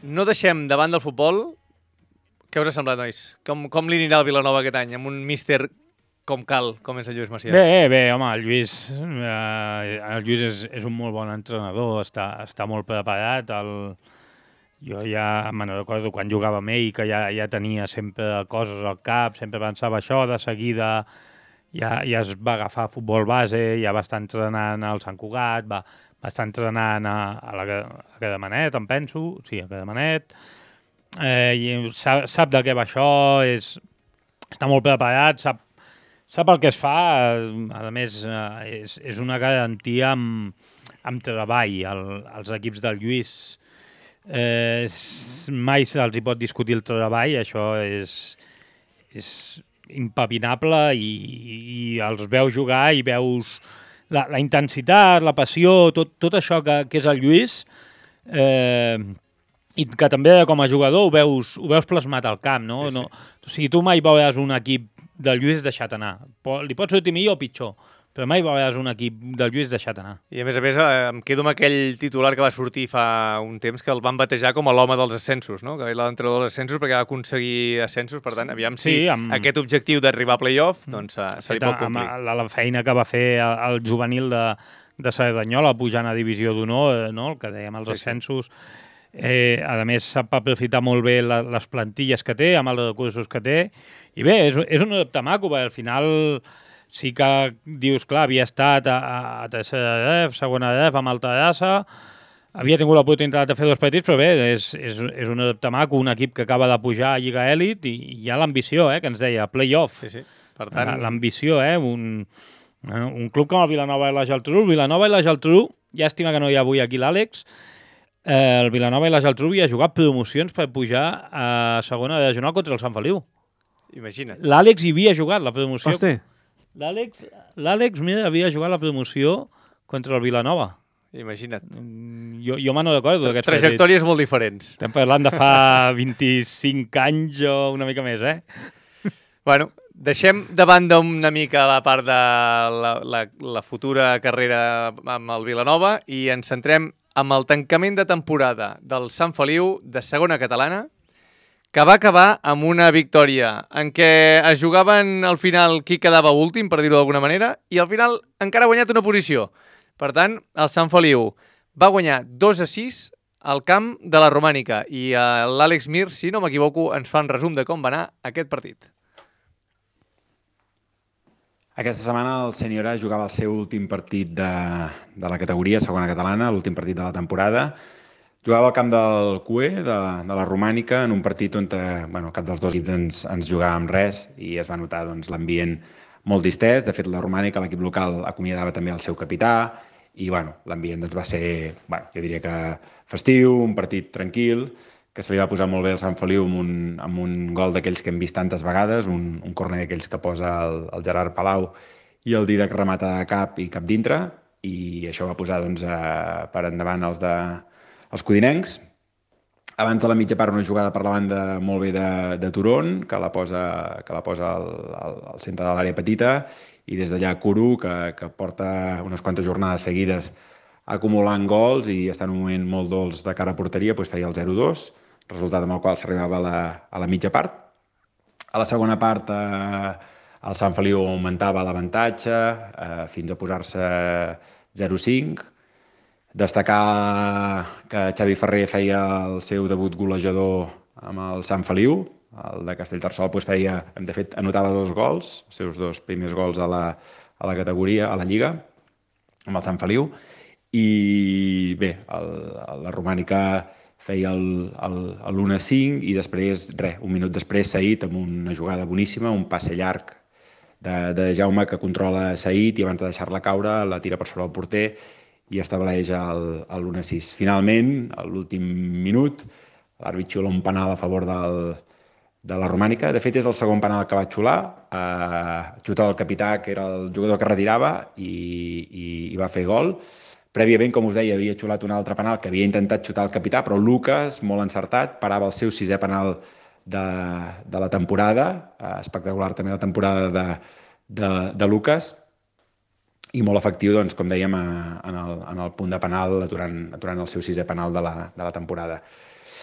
No deixem davant del futbol. Què us ha semblat, nois? Com, com li anirà el Vilanova aquest any? Amb un míster com cal, com és el Lluís Macià? Bé, bé, home, el Lluís, eh, el Lluís és, és un molt bon entrenador, està, està molt preparat. El... Jo ja me'n recordo quan jugava amb ell, que ja, ja tenia sempre coses al cap, sempre pensava això, de seguida ja, ja es va agafar futbol base, ja va estar entrenant al Sant Cugat, va, va estar entrenant a, a, la, a Cademanet, em penso, sí, a Cademanet, eh, i sap, sap de què va això, és, està molt preparat, sap, sap el que es fa, a més eh, és, és una garantia amb, amb treball. El, els equips del Lluís eh, mai se'ls hi pot discutir el treball, això és, és impepinable i, i els veus jugar i veus la, la intensitat, la passió, tot, tot això que, que és el Lluís, eh, i que també com a jugador ho veus, ho veus plasmat al camp, no? Sí, sí. No, o sigui, tu mai veuràs un equip del Lluís deixat anar. Li pot sortir millor o pitjor, però mai veuràs un equip del Lluís deixat anar. I a més a més em quedo amb aquell titular que va sortir fa un temps que el van batejar com a l'home dels ascensos, no? Que era l'entrenador dels ascensos perquè va aconseguir ascensos, per tant, aviam si sí, amb... aquest objectiu d'arribar a play-off doncs, se li pot complir. Amb la, la feina que va fer el juvenil de, de Cerdanyola pujant a divisió d'honor, no? El que dèiem, els sí, ascensos. Sí. Eh, a més, sap aprofitar molt bé la, les plantilles que té, amb els recursos que té. I bé, és, és un adapte maco, perquè al final sí que dius, clar, havia estat a, a tercera D E F, segona D E F, amb Alta Grassa, havia tingut l'oportunitat de fer dos partits, però bé, és, és, és un adapte maco, un equip que acaba de pujar a Lliga Elit i hi ha l'ambició, eh, que ens deia, play-off. Sí, sí. Per tant... L'ambició, eh, un, un club com el Vilanova i la Geltrú. El Vilanova i la Geltrú, llàstima que no hi ha avui aquí l'Àlex, eh, el Vilanova i la Geltrú havia jugat promocions per pujar a segona regional contra el Sant Feliu. Imagina't. L'Àlex hi havia jugat la promoció. Hosti. L'Àlex, l'Àlex, mira, havia jugat la promoció contra el Vilanova. Imagina't. jo, jo me no recordo d'aquests partits. Trajectòries molt diferents. Estem parlant de fa vint-i-cinc anys o una mica més, eh? Bueno, deixem de banda una mica la part de la, la, la futura carrera amb el Vilanova i ens centrem amb el tancament de temporada del Sant Feliu de segona catalana, que va acabar amb una victòria en què es jugaven al final qui quedava últim, per dir-ho d'alguna manera, i al final encara ha guanyat una posició. Per tant, el Sant Feliu va guanyar dos a sis al camp de la Romànica i l'Àlex Mir, si no m'equivoco, ens fa un resum de com va anar aquest partit. Aquesta setmana el Sènior A jugava el seu últim partit de, de la categoria segona catalana, l'últim partit de la temporada. Jugava al camp del C U E, de, de la Romànica, en un partit on bueno, cap dels dos equips ens, ens jugàvem res i es va notar doncs, l'ambient molt distès. De fet, la Romànica, l'equip local, acomiadava també el seu capità i bueno, l'ambient doncs, va ser, bueno, jo diria que festiu, un partit tranquil, que se li va posar molt bé al Sant Feliu amb un, amb un gol d'aquells que hem vist tantes vegades, un, un corner d'aquells que posa el, el Gerard Palau i el Didac remata de cap i cap dintre, i això va posar doncs, a, per endavant els, de, els codinencs. Abans de la mitja part una jugada per la banda molt bé de, de Turon, que la posa, que la posa al, al, al centre de l'àrea petita, i des d'allà Curu, que, que porta unes quantes jornades seguides acumulant gols i està en un moment molt dolç de cara a porteria, doncs feia el zero dos, resultat amb el qual s'arribava a, la, a la mitja part. A la segona part eh, el Sant Feliu augmentava l'avantatge eh, fins a posar-se zero cinc. Destacar que Xavi Ferrer feia el seu debut golejador amb el Sant Feliu. El de Castellterçol doncs, feia, de fet, anotava dos gols, els seus dos primers gols a la, a la categoria, a la Lliga, amb el Sant Feliu. I bé, el, la Romànica feia l'u a cinc i després, res, un minut després, Saïd amb una jugada boníssima, un passe llarg de, de Jaume que controla Saïd i abans de deixar-la caure la tira per sobre el porter i estableix l'u a sis. Finalment, a l'últim minut, l'àrbit xiula un penal a favor del, de la Romànica. De fet, és el segon penal que va xular. Eh, xuta el capità, que era el jugador que retirava, i, i, i va fer gol. Prèviament, com us deia, havia xulat un altre penal que havia intentat xutar el capità, però Lucas, molt encertat, parava el seu sisè penal de, de la temporada. Eh, espectacular també la temporada de, de, de Lucas. I molt efectiu, doncs, com dèiem, a, en, el, en el punt de penal, aturant, aturant el seu sisè penal de la, de la temporada.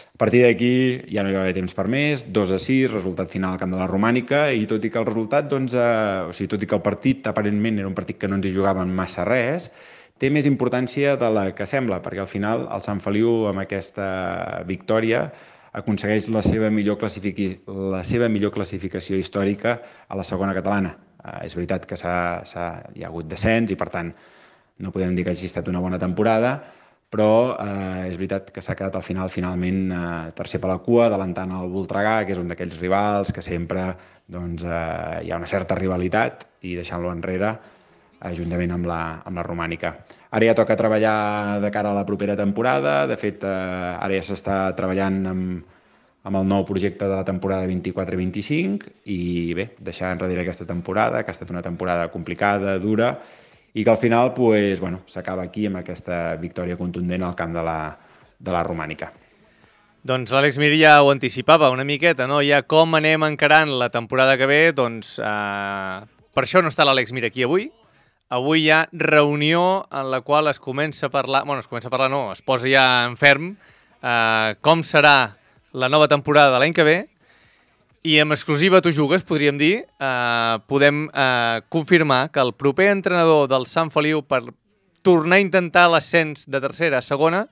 A partir d'aquí ja no hi va haver temps per més, dos a sis, resultat final al camp de la Romànica, i tot i que el resultat, doncs, eh, o sigui, tot i que el partit aparentment era un partit que no ens hi jugaven massa res, té més importància de la que sembla, perquè al final el Sant Feliu amb aquesta victòria aconsegueix la seva millor, classific... la seva millor classificació històrica a la segona catalana. Eh, és veritat que s'ha, s'ha... hi ha hagut descens i per tant no podem dir que hagi estat una bona temporada, però eh, és veritat que s'ha quedat al final finalment eh, tercer per la cua, adelantant el Voltregà, que és un d'aquells rivals que sempre doncs, eh, hi ha una certa rivalitat, i deixant-lo enrere juntament amb la, amb la Romànica. Ara ja toca treballar de cara a la propera temporada. De fet, eh, ara ja s'està treballant amb, amb el nou projecte de la temporada vint-i-quatre vint-i-cinc i bé, deixar enrere aquesta temporada, que ha estat una temporada complicada, dura, i que al final pues, bueno, s'acaba aquí amb aquesta victòria contundent al camp de la, de la Romànica. Doncs l'Àlex Mir ja ho anticipava una miqueta, no? Ja com anem encarant la temporada que ve, doncs eh, per això no està l'Àlex Mir aquí avui. Avui hi ha reunió en la qual es comença a parlar, bueno, es comença a parlar, no, es posa ja en ferm eh, com serà la nova temporada de l'any que ve, i amb exclusiva Tu Jugues, podríem dir, eh, podem eh, confirmar que el proper entrenador del Sant Feliu per tornar a intentar l'ascens de tercera a segona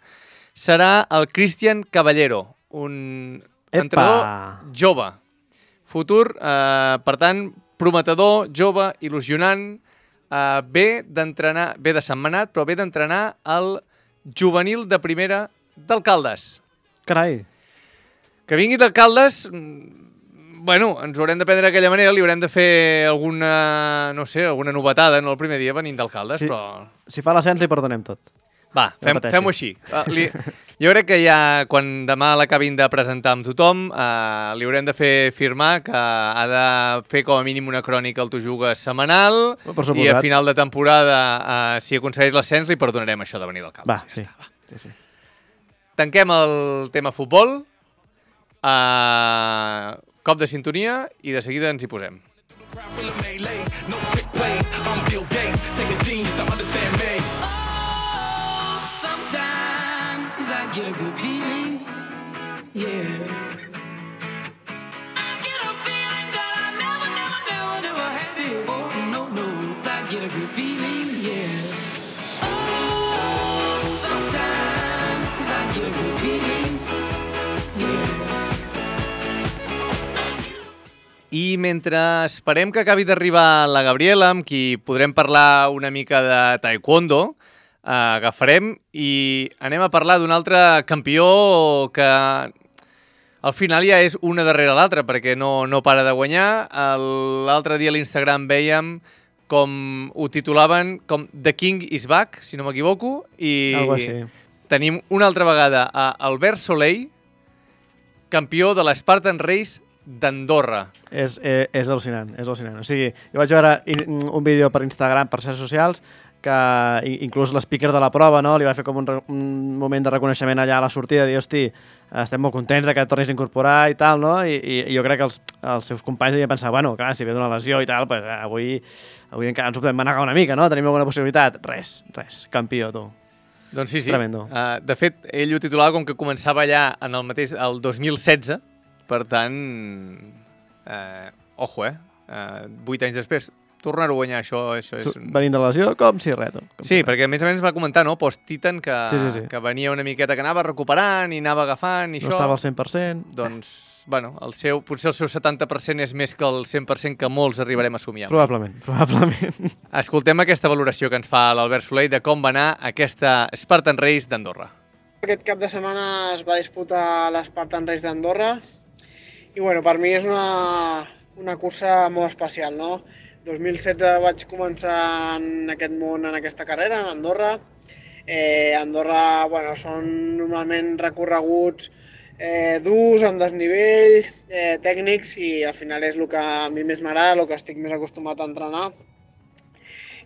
serà el Cristian Caballero, un Epa. entrenador jove, futur, eh, per tant, prometedor, jove, il·lusionant, Uh, ve d'entrenar, ve de Sentmenat, però ve d'entrenar el juvenil de primera d'Alcaldes. Carai. Que vingui d'Alcaldes, bueno, ens ho haurem de prendre d'aquella manera, li haurem de fer alguna, no sé, alguna novetada en el primer dia venint d'Alcaldes, sí, però... Si fa l'ascens li perdonem tot. Va, fem, fem-ho així. Uh, li, jo crec que ja, quan demà l'acabin de presentar amb tothom, uh, li haurem de fer firmar que ha de fer com a mínim una crònica al Tu Jugues setmanal, i a final de temporada, uh, si aconsegueix l'ascens, li perdonarem això de venir del camp. Va, sí. Ja està, va. sí, sí. tanquem el tema futbol, uh, cop de sintonia i de seguida ens hi posem. I mentre esperem que acabi d'arribar la Gabriela, amb qui podrem parlar una mica de taekwondo, eh, agafarem i anem a parlar d'un altre campió que al final ja és una darrere l'altra, perquè no, no para de guanyar. L'altre dia a l'Instagram veiem com ho titulaven com The King is Back, si no m'equivoco, i Algo així. Tenim una altra vegada a Albert Soleil, campió de l'Spartan Race d'Andorra. És, és, és al·lucinant, és al·lucinant. O sigui, jo vaig veure un vídeo per Instagram, per xarxes socials, que inclús l'speaker de la prova, no, li va fer com un, un moment de reconeixement allà a la sortida, de dir, hosti, estem molt contents de que et tornis a incorporar i tal, no? I, i jo crec que els, els seus companys devien pensar, bueno, clar, si ve d'una lesió i tal, pues, avui, avui encara ens ho podem manegar una mica, no? Tenim alguna possibilitat. Res, res. Campió, tu. Doncs sí, sí. Tremendo. Uh, de fet, ell ho titulava com que començava allà en el mateix, el dos mil setze, per tant, eh, ojo, eh? Uh, vuit anys després, tornar-ho a guanyar, això, això és... Venint de la lesió, com si res. Com sí, si res. perquè a més a més va comentar, no?, post-Titan, que, sí, sí, sí. que venia una miqueta, que anava recuperant i anava agafant i no això... No estava al cent per cent. Doncs, bueno, el seu, potser el seu setanta per cent és més que el cent per cent que molts arribarem a somiar. Probablement, probablement. Escoltem aquesta valoració que ens fa l'Albert Soleil de com va anar aquesta Spartan Race d'Andorra. Aquest cap de setmana es va disputar l'Spartan Race d'Andorra i, bueno, per mi és una, una cursa molt especial, no? dos mil setze vaig començar en aquest món, en aquesta carrera, en Andorra. Eh, Andorra, bueno, són normalment recorreguts eh, durs, amb desnivell, eh, tècnics, i al final és el que a mi més m'agrada, el que estic més acostumat a entrenar.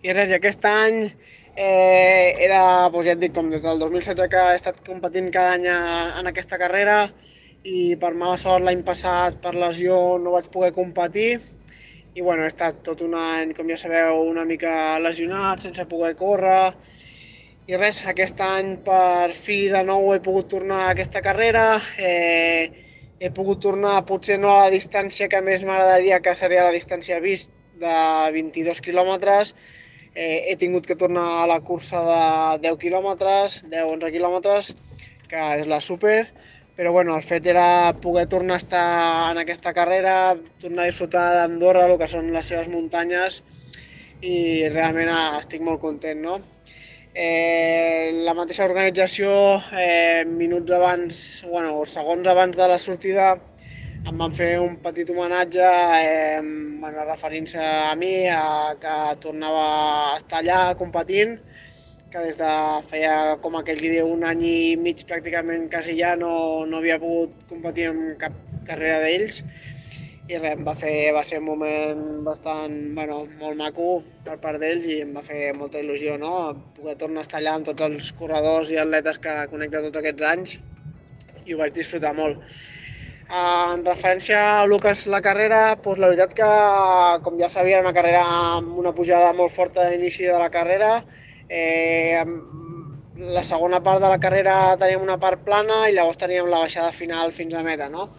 I res, i aquest any eh, era, doncs ja et dic, com des del dos mil setze que he estat competint cada any en aquesta carrera, i per mala sort l'any passat per lesió no vaig poder competir. I bueno, he estat tot un any, com ja sabeu, una mica lesionat, sense poder córrer. I res, aquest any per fi de nou he pogut tornar a aquesta carrera. Eh, he pogut tornar potser no a la distància que més m'agradaria, que seria la distància vist de vint-i-dos quilòmetres. Eh, he tingut que tornar a la cursa de deu quilòmetres, deu onze quilòmetres, que és la super. Però bueno, el fet era poder tornar a estar en aquesta carrera, tornar a disfrutar d'Andorra, el que són les seves muntanyes, i realment estic molt content, no? Eh, la mateixa organització, eh, minuts abans, bueno, segons abans de la sortida, em van fer un petit homenatge, eh, bueno, referint-se a mi, a que tornava a estar allà competint, que des de feia, com aquell que diu, un any i mig pràcticament quasi ja no, no havia pogut competir en cap carrera d'ells. I res, va, fer, va ser un moment bastant, bueno, molt maco per part d'ells, i em va fer molta il·lusió, no?, poder tornar a estar allà amb tots els corredors i atletes que connecta tots aquests anys, i ho vaig disfrutar molt. En referència a el que és la carrera, doncs la veritat que, com ja sabia, era una carrera amb una pujada molt forta a l'inici de la carrera. Eh, la segona part de la carrera teníem una part plana i llavors teníem la baixada final fins a meta, no?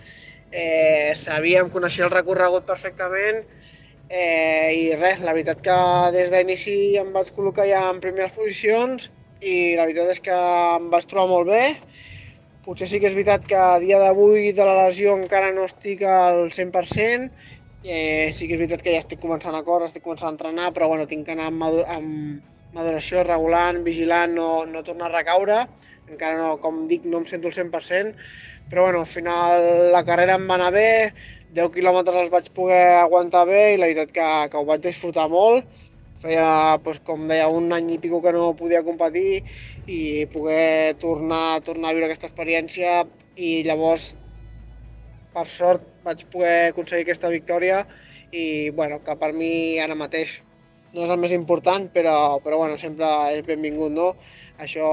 Eh, sabíem, coneixia el recorregut perfectament, eh, i res, la veritat que des d'inici em vaig col·locar ja en primeres posicions i la veritat és que em vaig trobar molt bé. Potser sí que és veritat que a dia d'avui de la lesió encara no estic al cent per cent, eh, sí que és veritat que ja estic començant a córrer, estic començant a entrenar, però bueno, tinc que anar amb, madur amb maduració, regulant, vigilant, no, no tornar a recaure. Encara no, com dic, no em sento al cent per cent, però bueno, al final la carrera em va anar bé, deu quilòmetres els vaig poder aguantar bé i la veritat que, que ho vaig disfrutar molt. Feia, doncs, com deia, un any i pico que no podia competir i poder tornar, tornar a viure aquesta experiència, i llavors, per sort, vaig poder aconseguir aquesta victòria i, bueno, que per mi ara mateix no és el més important, però, però bueno, sempre és benvingut, no? Això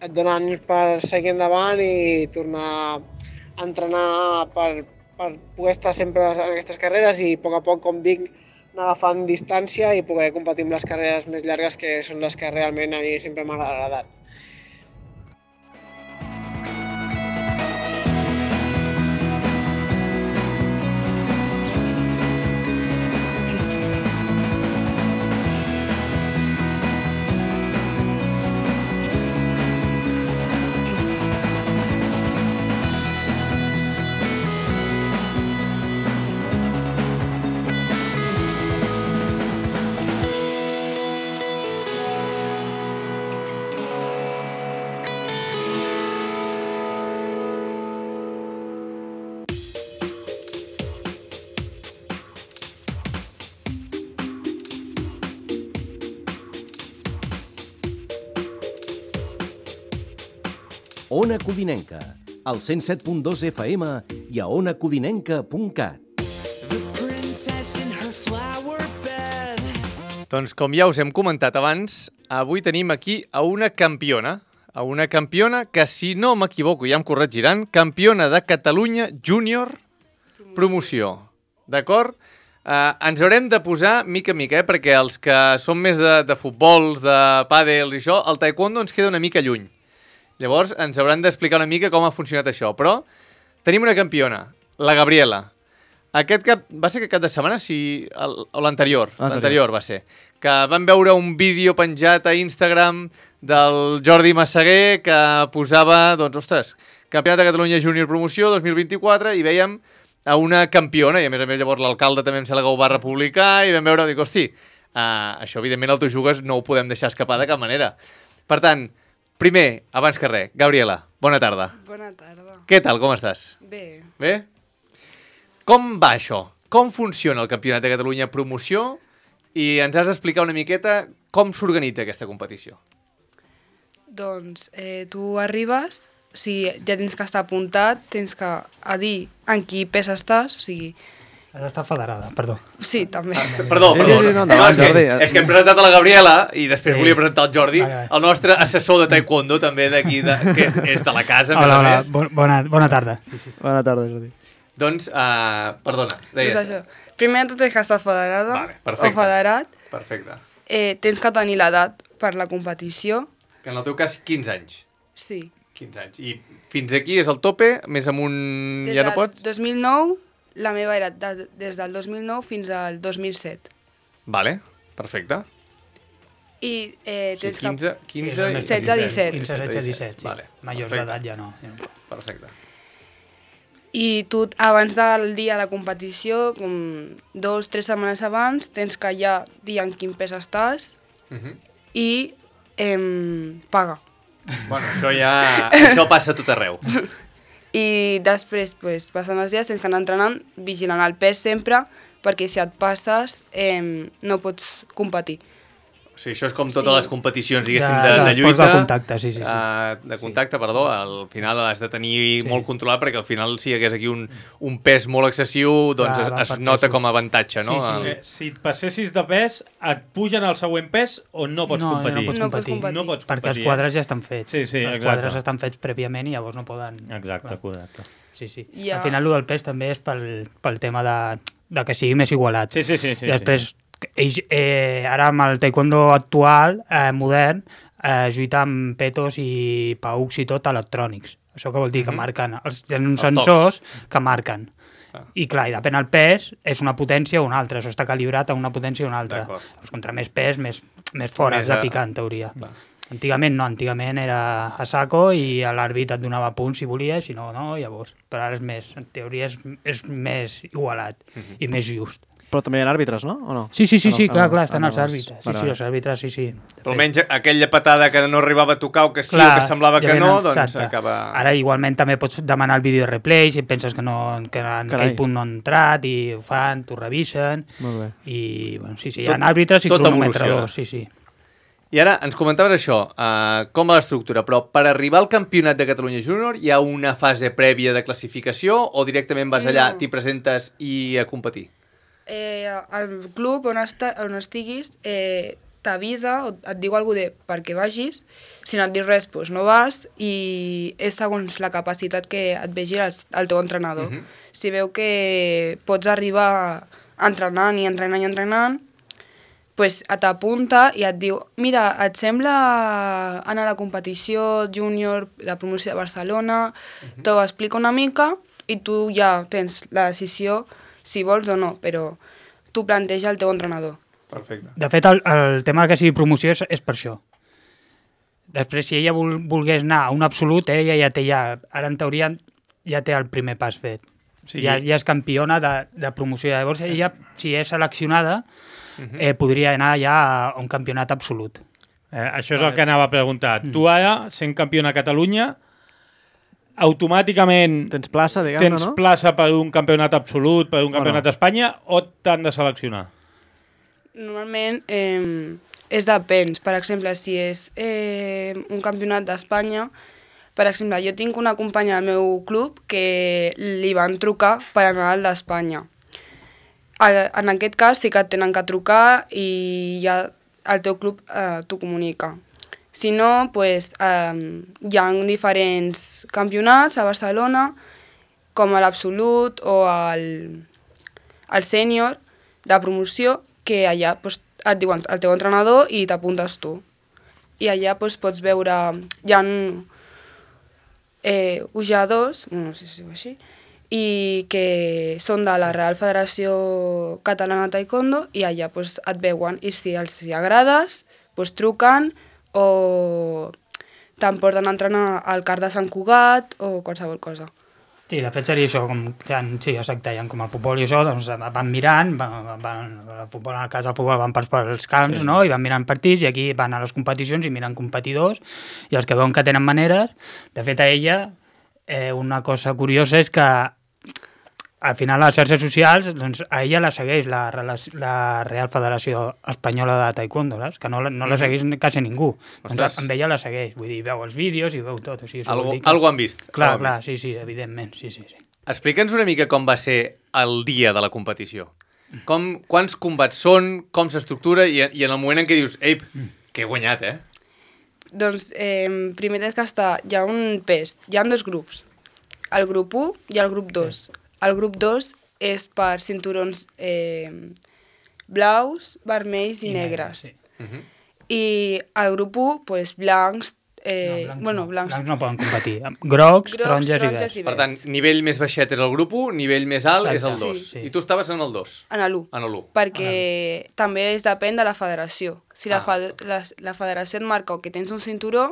et dona ànims per seguir endavant i tornar a entrenar per, per poder estar sempre en aquestes carreres i a poc a poc, com dic, anar agafant distància i poder competir amb les carreres més llargues, que són les que realment a mi sempre m'ha agradat. Ona Codinenca, al cent set punt dos F M i a ona codinenca punt cat. Doncs com ja us hem comentat abans, avui tenim aquí a una campiona, a una campiona que, si no m'equivoco, ja em corregiran, campiona de Catalunya júnior promoció. D'acord? Uh, ens haurem de posar mica a mica, eh? Perquè els que són més de, de futbols, de pàdels i això, el taekwondo ens queda una mica lluny. Llavors ens hauran d'explicar una mica com ha funcionat això. Però tenim una campiona, la Gabriela. Aquest cap, va ser aquest cap de setmana, sí, el, o l'anterior, l'anterior va ser, que vam veure un vídeo penjat a Instagram del Jordi Massaguer que posava, doncs, ostres, Campionat de Catalunya Júnior Promoció dos mil vint-i-quatre, i veiem a una campiona, i a més a més llavors l'alcalde també em sembla que ho va republicar, i vam veure, dic, hosti, uh, això evidentment el Tu Jugues no ho podem deixar escapar de cap manera. Per tant, primer, abans que res, Gabriela, bona tarda. Bona tarda. Què tal, com estàs? Bé. Bé? Com va això? Com funciona el Campionat de Catalunya Promoció? I ens has d'explicar una miqueta com s'organitza aquesta competició. Doncs eh, tu arribes, o sigui, ja tens que estar apuntat, tens que a dir en quin pes estàs, o sigui... Has d'estar federada, perdó. Sí, també. Ah, perdó, Sí, perdó. sí, sí, no, no, endavant, és, que, Jordi. és que hem presentat a la Gabriela i després Sí. volia presentar el Jordi, Vale, vale. el nostre assessor de taekwondo també d'aquí, de, que és, és de la casa, a més Hola, a hola, més. bo- bona, bona tarda. Bona tarda, Jordi. Doncs, uh, perdona, Doncs deies. això. Primer de tot tens que estar federada Vale, perfecte. o federat, Perfecte. eh, tens que tenir l'edat per la competició, Que en el teu cas, quinze anys. sí. quinze anys. I fins aquí és el tope, més amunt Des ja no del pots? dos mil nou, la meva era de, des del dos mil nou fins al dos mil set. Vale, perfecte. I eh, O sigui, tens quinze, quinze i setze, disset. quinze, setze, disset, sí. Vale, Majors perfecte. d'edat ja no. Perfecte. I tu, abans del dia de la competició, com dos, tres setmanes abans, tens que ja dir en quin pes estàs Uh -huh. i em, paga. Bueno, això ja... això passa a tot arreu. I després, pues, passant els dies, tens que anar entrenant, vigilant el pes sempre, perquè si et passes em, no pots competir. O sigui, això és com totes Sí. les competicions, diguéssim, De- de, de d'esports lluita. de contacte, sí, sí, sí. Uh, de contacte, perdó. Al final has de tenir Sí. molt controlat, perquè al final, si hi hagués aquí un, un pes molt excessiu, doncs Clar, es, van es per nota pesos. com a avantatge, no? Sí, sí. Eh, Eh, si et passessis de pes, et pugen al següent pes o no pots No, ja no competir? pots No pots competir. competir. No pots Perquè els competir, quadres ja estan fets. Sí, sí, els exacte. quadres estan fets prèviament i llavors no poden... Eh? Exacte, Clar. correcte. Sí, sí. Ja. Al final, el del pes també és pel, pel tema de, de que sigui més igualat. Sí, sí, sí. sí, I després, ells, eh, ara amb el taekwondo actual, eh, modern, eh, lluita amb petos i paucs i tot electrònics. Això que vol dir que Mhm. marquen, els, tenen uns Els tocs. sensors que marquen. Ah. I clar, i depèn del pes, és una potència o una altra. Això està calibrat a una potència o una altra. D'acord. Doncs contra més pes, més, més fora Més has de a- picar, en teoria. Clar. Antigament no, antigament era a saco i l'àrbit et donava punts si volia, si no, no, llavors. Però ara és més, en teoria és, és més igualat Mhm. i més just. Però també hi ha àrbitres, no? O no? Sí, sí, sí, Ah, no, sí, ah, clar, no, clar, ah, estan no, els els- àrbitres. Sí, vale, sí, vale. els àrbitres, sí, sí. De Però fet. almenys aquella patada que no arribava a tocar o que sí Clar, o que semblava ja que no, venen, doncs exacte. acaba... Ara igualment també pots demanar el vídeo de replay si penses que, no, que en Carai. aquell punt no ha entrat i ho fan, t'ho revisen Molt bé. i, bueno, sí, sí, hi Tot- ha àrbitres i tot cronometradors, sí, sí. I ara ens comentaves això, uh, com va l'estructura, però per arribar al Campionat de Catalunya Júnior hi ha una fase prèvia de classificació o directament vas allà, No. t'hi presentes i a competir? eh, el club on, esta, on estiguis eh, t'avisa o et diu alguna cosa de perquè vagis, si no et diu res, doncs no vas, i és segons la capacitat que et vegi el, el teu entrenador. Uh-huh. Si veu que pots arribar entrenant i entrenant i entrenant, pues t'apunta i et diu mira, et sembla anar a la competició júnior de promoció de Barcelona, uh-huh. t'ho explica una mica i tu ja tens la decisió si vols o no, però tu planteja el teu entrenador. Perfecte. De fet, el, el tema que sigui promoció és, és per això. Després, si ella vol, volgués anar a un absolut, eh, ella ja té ja, ara en teoria ja té el primer pas fet. Sí. Ja, ja és campiona de, de promoció. Llavors, ella, si és seleccionada, uh-huh. eh, podria anar ja a un campionat absolut. Eh, això és el que anava a preguntar. Mm. Tu ara, sent campiona a Catalunya, automàticament tens plaça, diguem-ne, tens no? plaça per un campionat absolut, per un campionat no? d'Espanya, o t'han de seleccionar? Normalment eh, és depèn. Per exemple, si és eh, un campionat d'Espanya, per exemple, jo tinc una companya al meu club que li van trucar per anar al d'Espanya. En aquest cas sí que et tenen que trucar i ja el teu club eh, t'ho comunica. Si no, pues, eh, hi ha diferents campionats a Barcelona, com a l'Absolut o el, el Sènior de promoció, que allà pues, et diuen el teu entrenador i t'apuntes tu. I allà pues, pots veure, hi ha eh, jugadors, no sé si es diu així, i que són de la Real Federació Catalana de Taekwondo i allà pues, et veuen i si els hi agrades, pues, truquen o t'emporten a entrenar al CAR de Sant Cugat o qualsevol cosa. Sí, de fet seria això, com, sí, exacte, ja, com el futbol i això, doncs van mirant, van, van, el futbol, en el cas del futbol van pels, pels camps, sí. no? I van mirant partits, i aquí van a les competicions i miren competidors, i els que veuen que tenen maneres. De fet, a ella, eh, una cosa curiosa és que al final a les xarxes socials, doncs, a ella la segueix la, la Real Federació Espanyola de Taekwondo, saps? Que no, no la segueix quasi ningú. Doncs amb ella la segueix, vull dir, veu els vídeos i veu tot. O sigui, algo, que... algo han vist. Clar, algo clar, vist. sí, sí, evidentment, sí, sí, sí. Explica'ns una mica com va ser el dia de la competició. Com, quants combats són, com s'estructura i, i en el moment en què dius, ei, que he guanyat, eh? Doncs eh, primer tens que estar, hi ha un pes, hi ha dos grups, el grup u i el grup dos. Sí. El grup dos és per cinturons eh, blaus, vermells i, I negres. negres sí. uh-huh. I el grup u, pues, blancs, eh, no, blancs, bueno, blancs. blancs no poden competir. Grocs, Grocs taronges, taronges i verds. Per tant, nivell més baixet és el grup u, nivell més alt Exacte. és el dos. Sí. I tu estaves en el dos? En l'u. En l'u. Perquè també es depèn de la federació. Si ah. la, fe la, la federació et marca que tens un cinturó,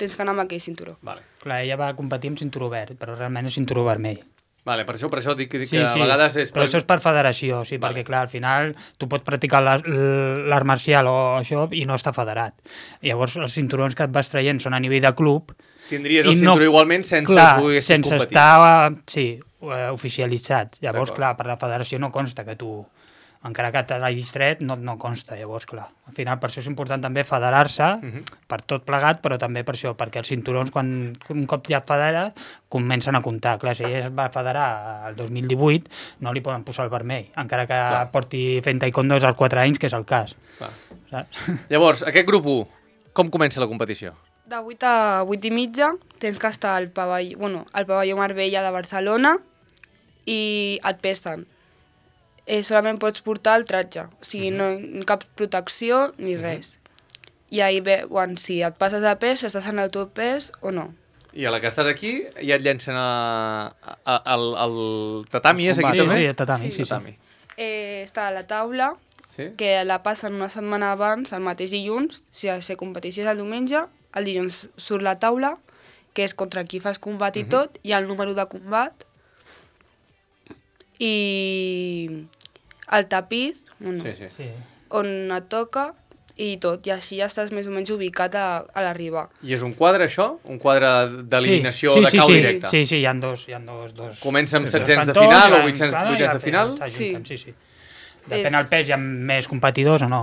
tens que anar amb aquell cinturó. Vale. Clar, ella va competir amb cinturó verd, però realment és cinturó vermell. Vale, per això, per això dic que, sí, que sí, a vegades és... però això és per federació, sí, vale. Perquè clar, al final tu pots practicar l'art marcial o això i no està federat. Llavors els cinturons que et vas traient són a nivell de club. Tindries el cinturó no, igualment sense clar, poder sense competir. estar, sí, oficialitzat. Llavors, clar, per la federació no consta que tu... encara que t'hagis tret, no, no consta, llavors, clar. Al final, per això és important també federar-se, uh-huh. per tot plegat, però també per això, perquè els cinturons, quan un cop ja et federa, comencen a comptar. Clar, si ella es va federar el dos mil divuit, no li poden posar el vermell, encara que clar. porti fent taekwondo als quatre anys, que és el cas. Saps? Llavors, aquest grup u, com comença la competició? De vuit a vuit i mitja tens que estar al pavelló, bueno, al pavelló Marbella de Barcelona i et pesen. Eh, solament pots portar el tratge, o sigui, uh-huh. no cap protecció ni uh-huh. res. I ahí veuen si et passes de pes, si estàs en el teu pes o no. I a la que estàs aquí ja et llencen a, a, a, al, al tatami, és aquí sí, també? Sí, el tatami, sí. sí, tatami. sí. Eh, està a la taula, sí? que la passen una setmana abans, el mateix dilluns, si la competició és el diumenge, el dilluns surt la taula, que és contra qui fas combat i uh-huh. tot, i el número de combat, i el tapís, bueno, sí, sí. Sí. on et toca i tot, i així ja estàs més o menys ubicat a, a l'arribar. I és un quadre, això? Un quadre d'eliminació sí, sí, de cau sí, directe? Sí, sí, hi ha dos. Hi ha dos, dos Comença amb setzents de final o vuitcents de final? Sí. sí, sí. Depèn del pes, hi ha més competidors o no.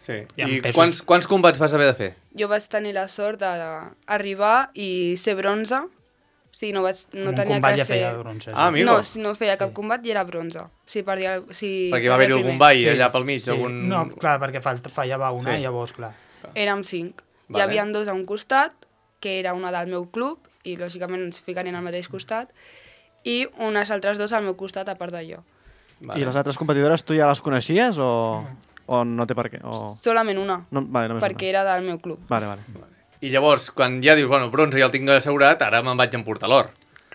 Sí. I quants, quants combats vas haver de fer? Jo vaig tenir la sort d'arribar i ser bronze Sí, no, vaig, no un tenia combat que ja ser... feia bronze. Ah, amigo. No, si no feia cap combat i era bronze. Sí, per dir... Sí, Perquè va haver-hi algun ball allà pel mig. Sí. Algun... No, clar, perquè falt- fallava una Sí. i llavors, clar. Érem cinc. Vale. Hi havia dos a un costat, que era una del meu club, i lògicament ens ficarien al mateix costat, i unes altres dos al meu costat, a part d'allò. I les altres competidores tu ja les coneixies o, o no té per què? O... Solament una, No, vale, només perquè era del meu club. una. Vale, vale. I llavors, quan ja dius, bueno, bronze ja el tinc assegurat, ara me'n vaig emportar l'or.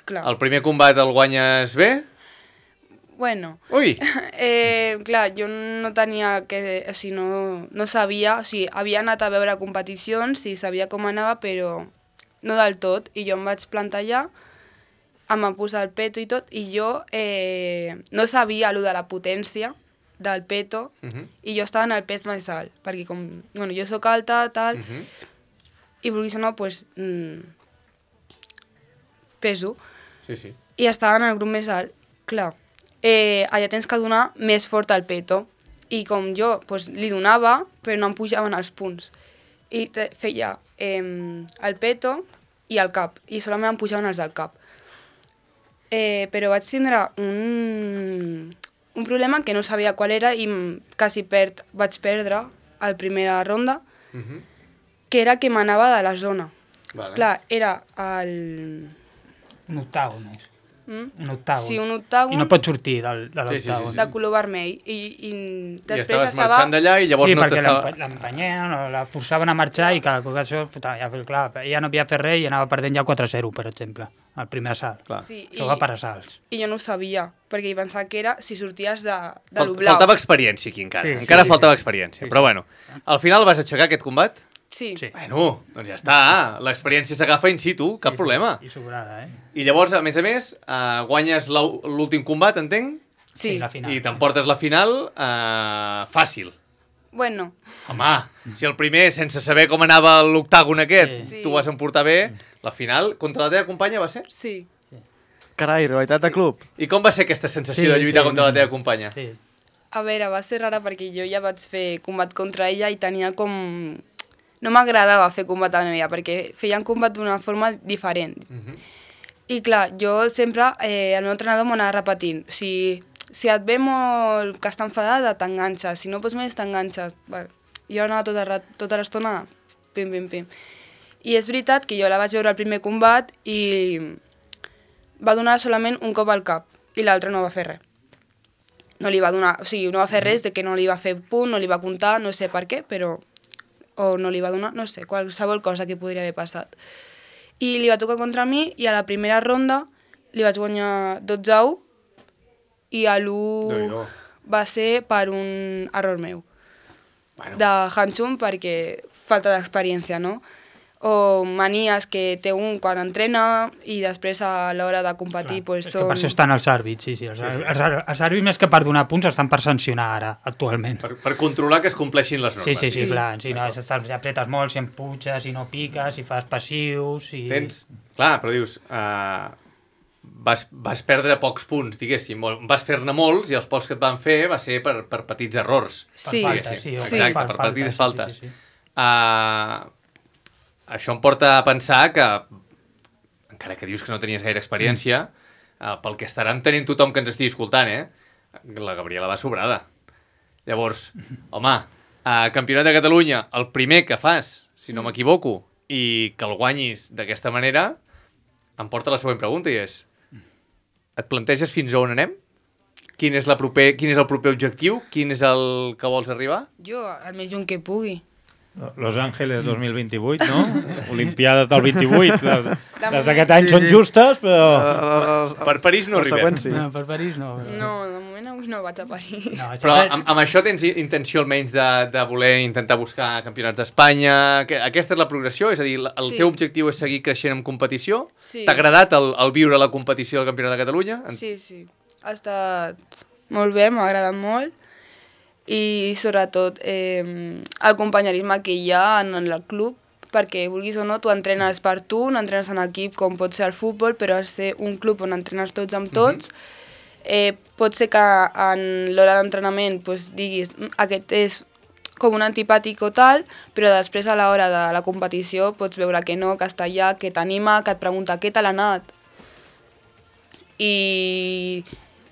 Clar. El primer combat el guanyes bé? Bueno, Ui! eh, clar, jo no tenia que... O sigui, no, no sabia... O sigui, havia anat a veure competicions i sabia com anava, però no del tot. I jo em vaig plantar allà, em van posar el peto i tot, i jo eh, no sabia allò de la potència del peto, Uh -huh. i jo estava en el pes més alt, perquè com... Bueno, jo sóc alta, tal, Uh -huh. i vulguis o no, pues, mm, peso. Sí, sí. I estava en el grup més alt. Clar, eh, allà tens que donar més fort al peto. I com jo pues, li donava, però no em pujaven els punts. I te, feia eh, el peto i el cap, i solament em pujaven els del cap. Eh, però vaig tindre un, un problema que no sabia qual era i quasi perd, vaig perdre a la primera ronda, Uh -huh. que era que m'anava de la zona. Vale. Clar, era el... Un octàgon és. Mm? Un octàgon. Sí, un octàgon. I no pot sortir del, de Sí, sí, sí, l'octàgon. sí. de color vermell. I, i I després estaves estava... marxant d'allà i llavors Sí, no perquè t'estava... l'empa- l'empenyen, o la forçaven a marxar i cada ocasió, ja, clar, ella no havia fet res i anava perdent ja quatre a zero, per exemple, el primer assalt. Clar. Sí, Això i- va per assalts. I jo no ho sabia, perquè hi pensava que era si sorties de, de Fal lo blau. faltava experiència aquí encara. Sí, sí, encara sí, faltava sí. experiència. Sí, Però sí. bueno, al final vas aixecar aquest combat? Sí. Sí. Bueno, doncs ja està. L'experiència s'agafa in situ, cap Sí, problema. Sí, i sobrada, eh? I llavors, a més a més, uh, guanyes l'au- l'últim combat, entenc? Sí. la final. I t'emportes la final uh, fàcil. Bueno, Home, si el primer, sense saber com anava l'octàgon aquest, Sí. tu vas emportar bé, la final contra la teva companya va ser? sí. Carai, rivalitat de club. I com va ser aquesta sensació Sí, de lluitar sí, contra la sí. teva companya? Sí. A veure, va ser rara perquè jo ja vaig fer combat contra ella i tenia com... No m'agradava fer combat amb ella perquè feien combat d'una forma diferent. Uh -huh. I clar, jo sempre, eh, el meu entrenador m'ho anava repetint. Si, si et ve molt que està enfadada, t'enganxes. Si no pots més, t'enganxes. Bueno, jo anava tota, ra- tota l'estona pim, pim, pim. I és veritat que jo la vaig veure al primer combat i va donar solament un cop al cap i l'altre no va fer res. No li va donar, o sigui, no va fer res de que no li va fer punt, no li va comptar, no sé per què, però... O no li va donar, no sé, qualsevol cosa que podria haver passat. I li va tocar contra mi i a la primera ronda li vaig guanyar dotze a u i a l'u Déu-n'hi-do. va ser per un error meu. Bueno. De Hanchum perquè falta d'experiència, no? O manies que té un quan entrena i després a l'hora de competir Clar, pues, és que són... per això estan els àrbits, sí, sí. Els, sí, sí. els, els, els àrbits més que per donar punts estan per sancionar ara, actualment. Per, per controlar que es compleixin les normes. Sí, sí, sí, Sí. clar. Si no, estàs, ja apretes molt, si empuixes, si no piques, si fas passius... Si... Tens... Clar, però dius... Uh, vas, vas perdre pocs punts, diguéssim. Molt- Vas fer-ne molts i els pocs que et van fer va ser per, per petits errors. Per Sí. faltes, sí. o Sí. Exacte, per per faltes, petites sí, faltes. Sí, sí, sí. Uh, això em porta a pensar que, encara que dius que no tenies gaire experiència, uh, pel que estaran tenint tothom que ens estigui escoltant, eh? La Gabriela va sobrada. Llavors, home, uh, Campionat de Catalunya, el primer que fas, si no m'equivoco, i que el guanyis d'aquesta manera, em porta la següent pregunta i és: et planteges fins a on anem? Quin és, la proper, quin és el proper objectiu? Quin és el que vols arribar? Jo, el més lluny que pugui. Los Ángeles dos mil vint-i-vuit, no? Olimpiades del vint-i-vuit. Les, De les d'aquest any són justes, però... Per París no arribem. Sí. No, per París no. No, de moment avui no vaig a París. no Però amb, amb això tens intenció almenys de, de voler intentar buscar campionats d'Espanya? Que- Aquesta és la progressió? És a dir, el Sí. teu objectiu és seguir creixent en competició? Sí. T'ha agradat el, el viure la competició del Campionat de Catalunya? En- Sí, sí. Ha estat molt bé, m'ha agradat molt. I sobretot eh, el companyerisme que hi ha en el club, perquè vulguis o no, tu entrenes per tu, no entrenes en equip com pot ser el futbol, però al ser un club on entrenes tots amb tots, eh, pot ser que en l'hora d'entrenament pues, diguis "Mm, aquest és com un antipàtic o tal, però després a l'hora de la competició pots veure que no, que està allà, que t'anima, que et pregunta què tal ha anat, i,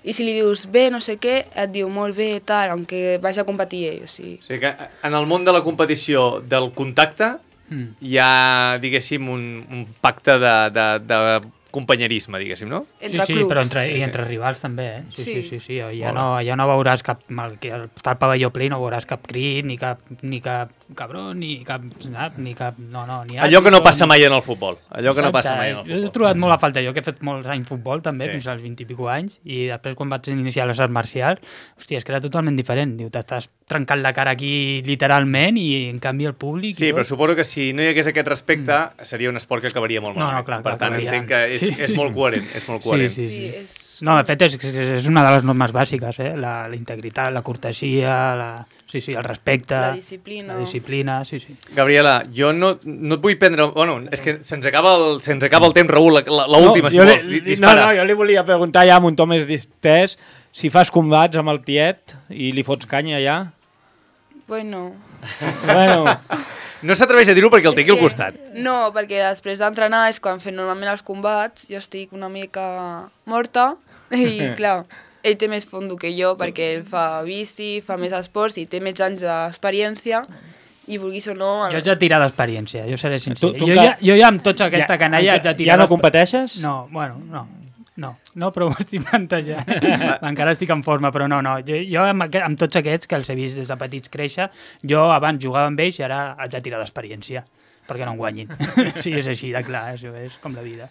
i si li dius bé, no sé què, et diu molt bé, tal, aunque vagi a competir ell. O sigui. O sigui que en el món de la competició del contacte mm. hi ha, diguéssim, un, un pacte de, de, de companyerisme, diguéssim, no? Entre sí, sí, clubs. però entre, i entre rivals també, eh? Sí, sí, Sí. sí, sí, sí. Ja, no, ja no veuràs cap... Mal, que està al pavelló ple no veuràs cap crit, ni cap, ni cap cabró, ni cap... Ni cap no, no, ni allò que no passa mai en el futbol. Allò que no passa mai en el Jo futbol. he trobat molt a falta, jo que he fet molts anys futbol també, Sí. fins als vint i pico anys, i després quan vaig iniciar les arts marcials, hòstia, és que era totalment diferent. Diu, t'estàs trencant la cara aquí literalment i en canvi el públic... Sí, i però tot. suposo que si no hi hagués aquest respecte mm. seria un esport que acabaria molt No, malament. no, clar, per clar, tant, acabaria. entenc que és, Sí. és molt coherent. És molt coherent. Sí, sí, Sí, sí. és... No, de fet, és, és una de les normes bàsiques, eh? La, la integritat, la cortesia, la, sí, sí, el respecte... La disciplina. La disciplina, sí, sí. Gabriela, jo no, no et vull prendre... Bueno, és que se'ns acaba, el, se'ns acaba el temps, Raül, l'última, no, si jo vols, li, dispara. No, no, jo li volia preguntar ja amb un to més distès si fas combats amb el tiet i li fots canya ja. Bueno... Bueno... No s'atreveix a dir-ho perquè el té aquí al que- costat. No, perquè després d'entrenar és quan fem normalment els combats, jo estic una mica morta i clar, ell té més fondo que jo perquè ell fa bici, fa més esports i té més anys d'experiència i vulguis o no... Jo haig de tirar d'experiència, jo seré sincer. Tu- tu jo, encara- ja, jo ja amb tota aquesta Ja- canalla haig de tirar... ja no d'exper- competeixes? No, bueno, no. No, no, però ho estic plantejant. Encara estic en forma, però no, no. Jo, jo amb, aqu amb tots aquests que els he vist des de petits créixer, jo abans jugava amb ells i ara haig de tirar d'experiència, perquè no em guanyin. Sí, és així de clar, això és com la vida.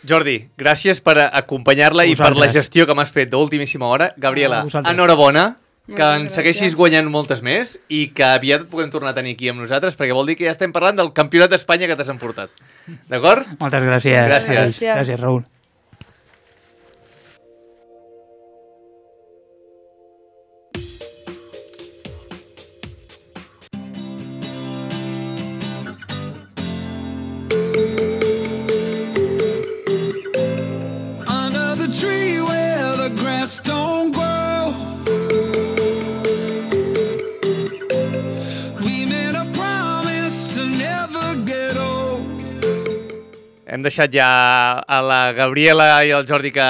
Jordi, gràcies per acompanyar-la i per la gestió que m'has fet d'ultimíssima hora. Gabriela, A vosaltres. enhorabona, que Moltes ens segueixis gràcies. guanyant moltes més i que aviat et puguem tornar a tenir aquí amb nosaltres, perquè vol dir que ja estem parlant del campionat d'Espanya que t'has emportat. D'acord? Moltes gràcies. Gràcies. Gràcies. Gràcies, Raül. Under the tree where the grass don't grow, we made a promise to never get old. Hem deixat ja a la Gabriela i el Jordi que,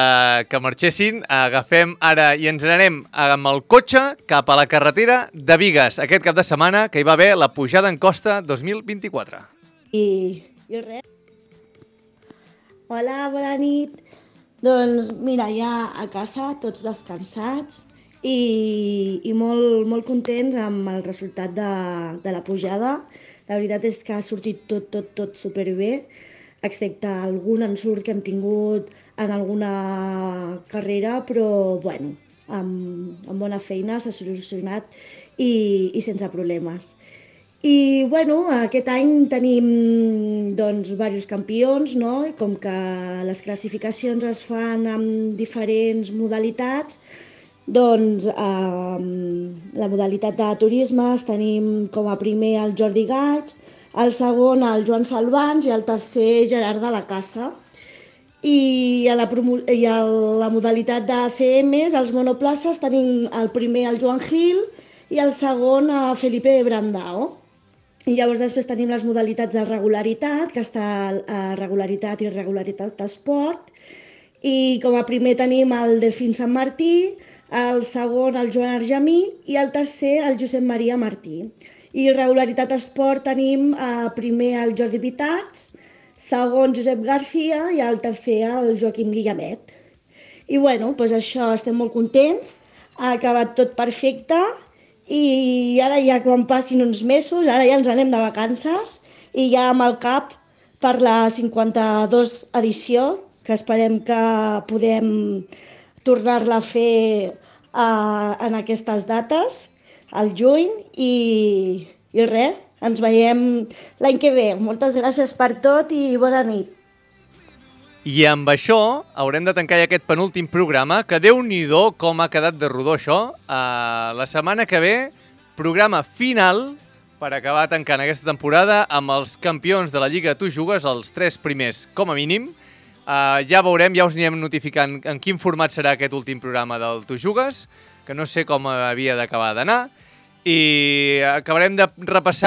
que marxessin. Agafem ara i ens n'anem amb el cotxe cap a la carretera de Bigues aquest cap de setmana, que hi va haver la pujada en costa dos mil vint-i-quatre. I, i res. Hola, bona nit. Doncs mira, ja a casa, tots descansats i, i molt, molt contents amb el resultat de, de la pujada. La veritat és que ha sortit tot, tot, tot superbé, excepte algun ensurt que hem tingut en alguna carrera, però bueno, amb, amb bona feina s'ha solucionat i, i sense problemes. I bueno, aquest any tenim doncs, diversos campions, no? I com que les classificacions es fan amb diferents modalitats, doncs eh, la modalitat de turismes tenim com a primer el Jordi Gaig, el segon el Joan Salvans i el tercer Gerard de la Casa. I a la, promo i a la modalitat de C Ms, els monoplaces, tenim el primer el Joan Gil i el segon a Felipe Brandao. I llavors després tenim les modalitats de regularitat, que està a regularitat i irregularitat esport. I com a primer tenim el Delfín Sant Martí, el segon el Joan Argemí i el tercer el Josep Maria Martí. I regularitat esport tenim eh, primer el Jordi Vitats, segon Josep García i el tercer el Joaquim Guillamet. I bueno, doncs això, estem molt contents, ha acabat tot perfecte. I ara ja quan passin uns mesos, ara ja ens anem de vacances i ja amb el cap per la cinquanta-dos edició, que esperem que podem tornar-la a fer uh, en aquestes dates, al juny, i, i res, ens veiem l'any que ve. Moltes gràcies per tot i bona nit. I amb això haurem de tancar ja aquest penúltim programa, que Déu-n'hi-do com ha quedat de rodó això. Uh, la setmana que ve, programa final per acabar tancant aquesta temporada amb els campions de la Lliga Tu Jugues, els tres primers com a mínim. Uh, ja veurem, ja us anirem notificant en quin format serà aquest últim programa del Tu Jugues, que no sé com havia d'acabar d'anar. I acabarem de repassar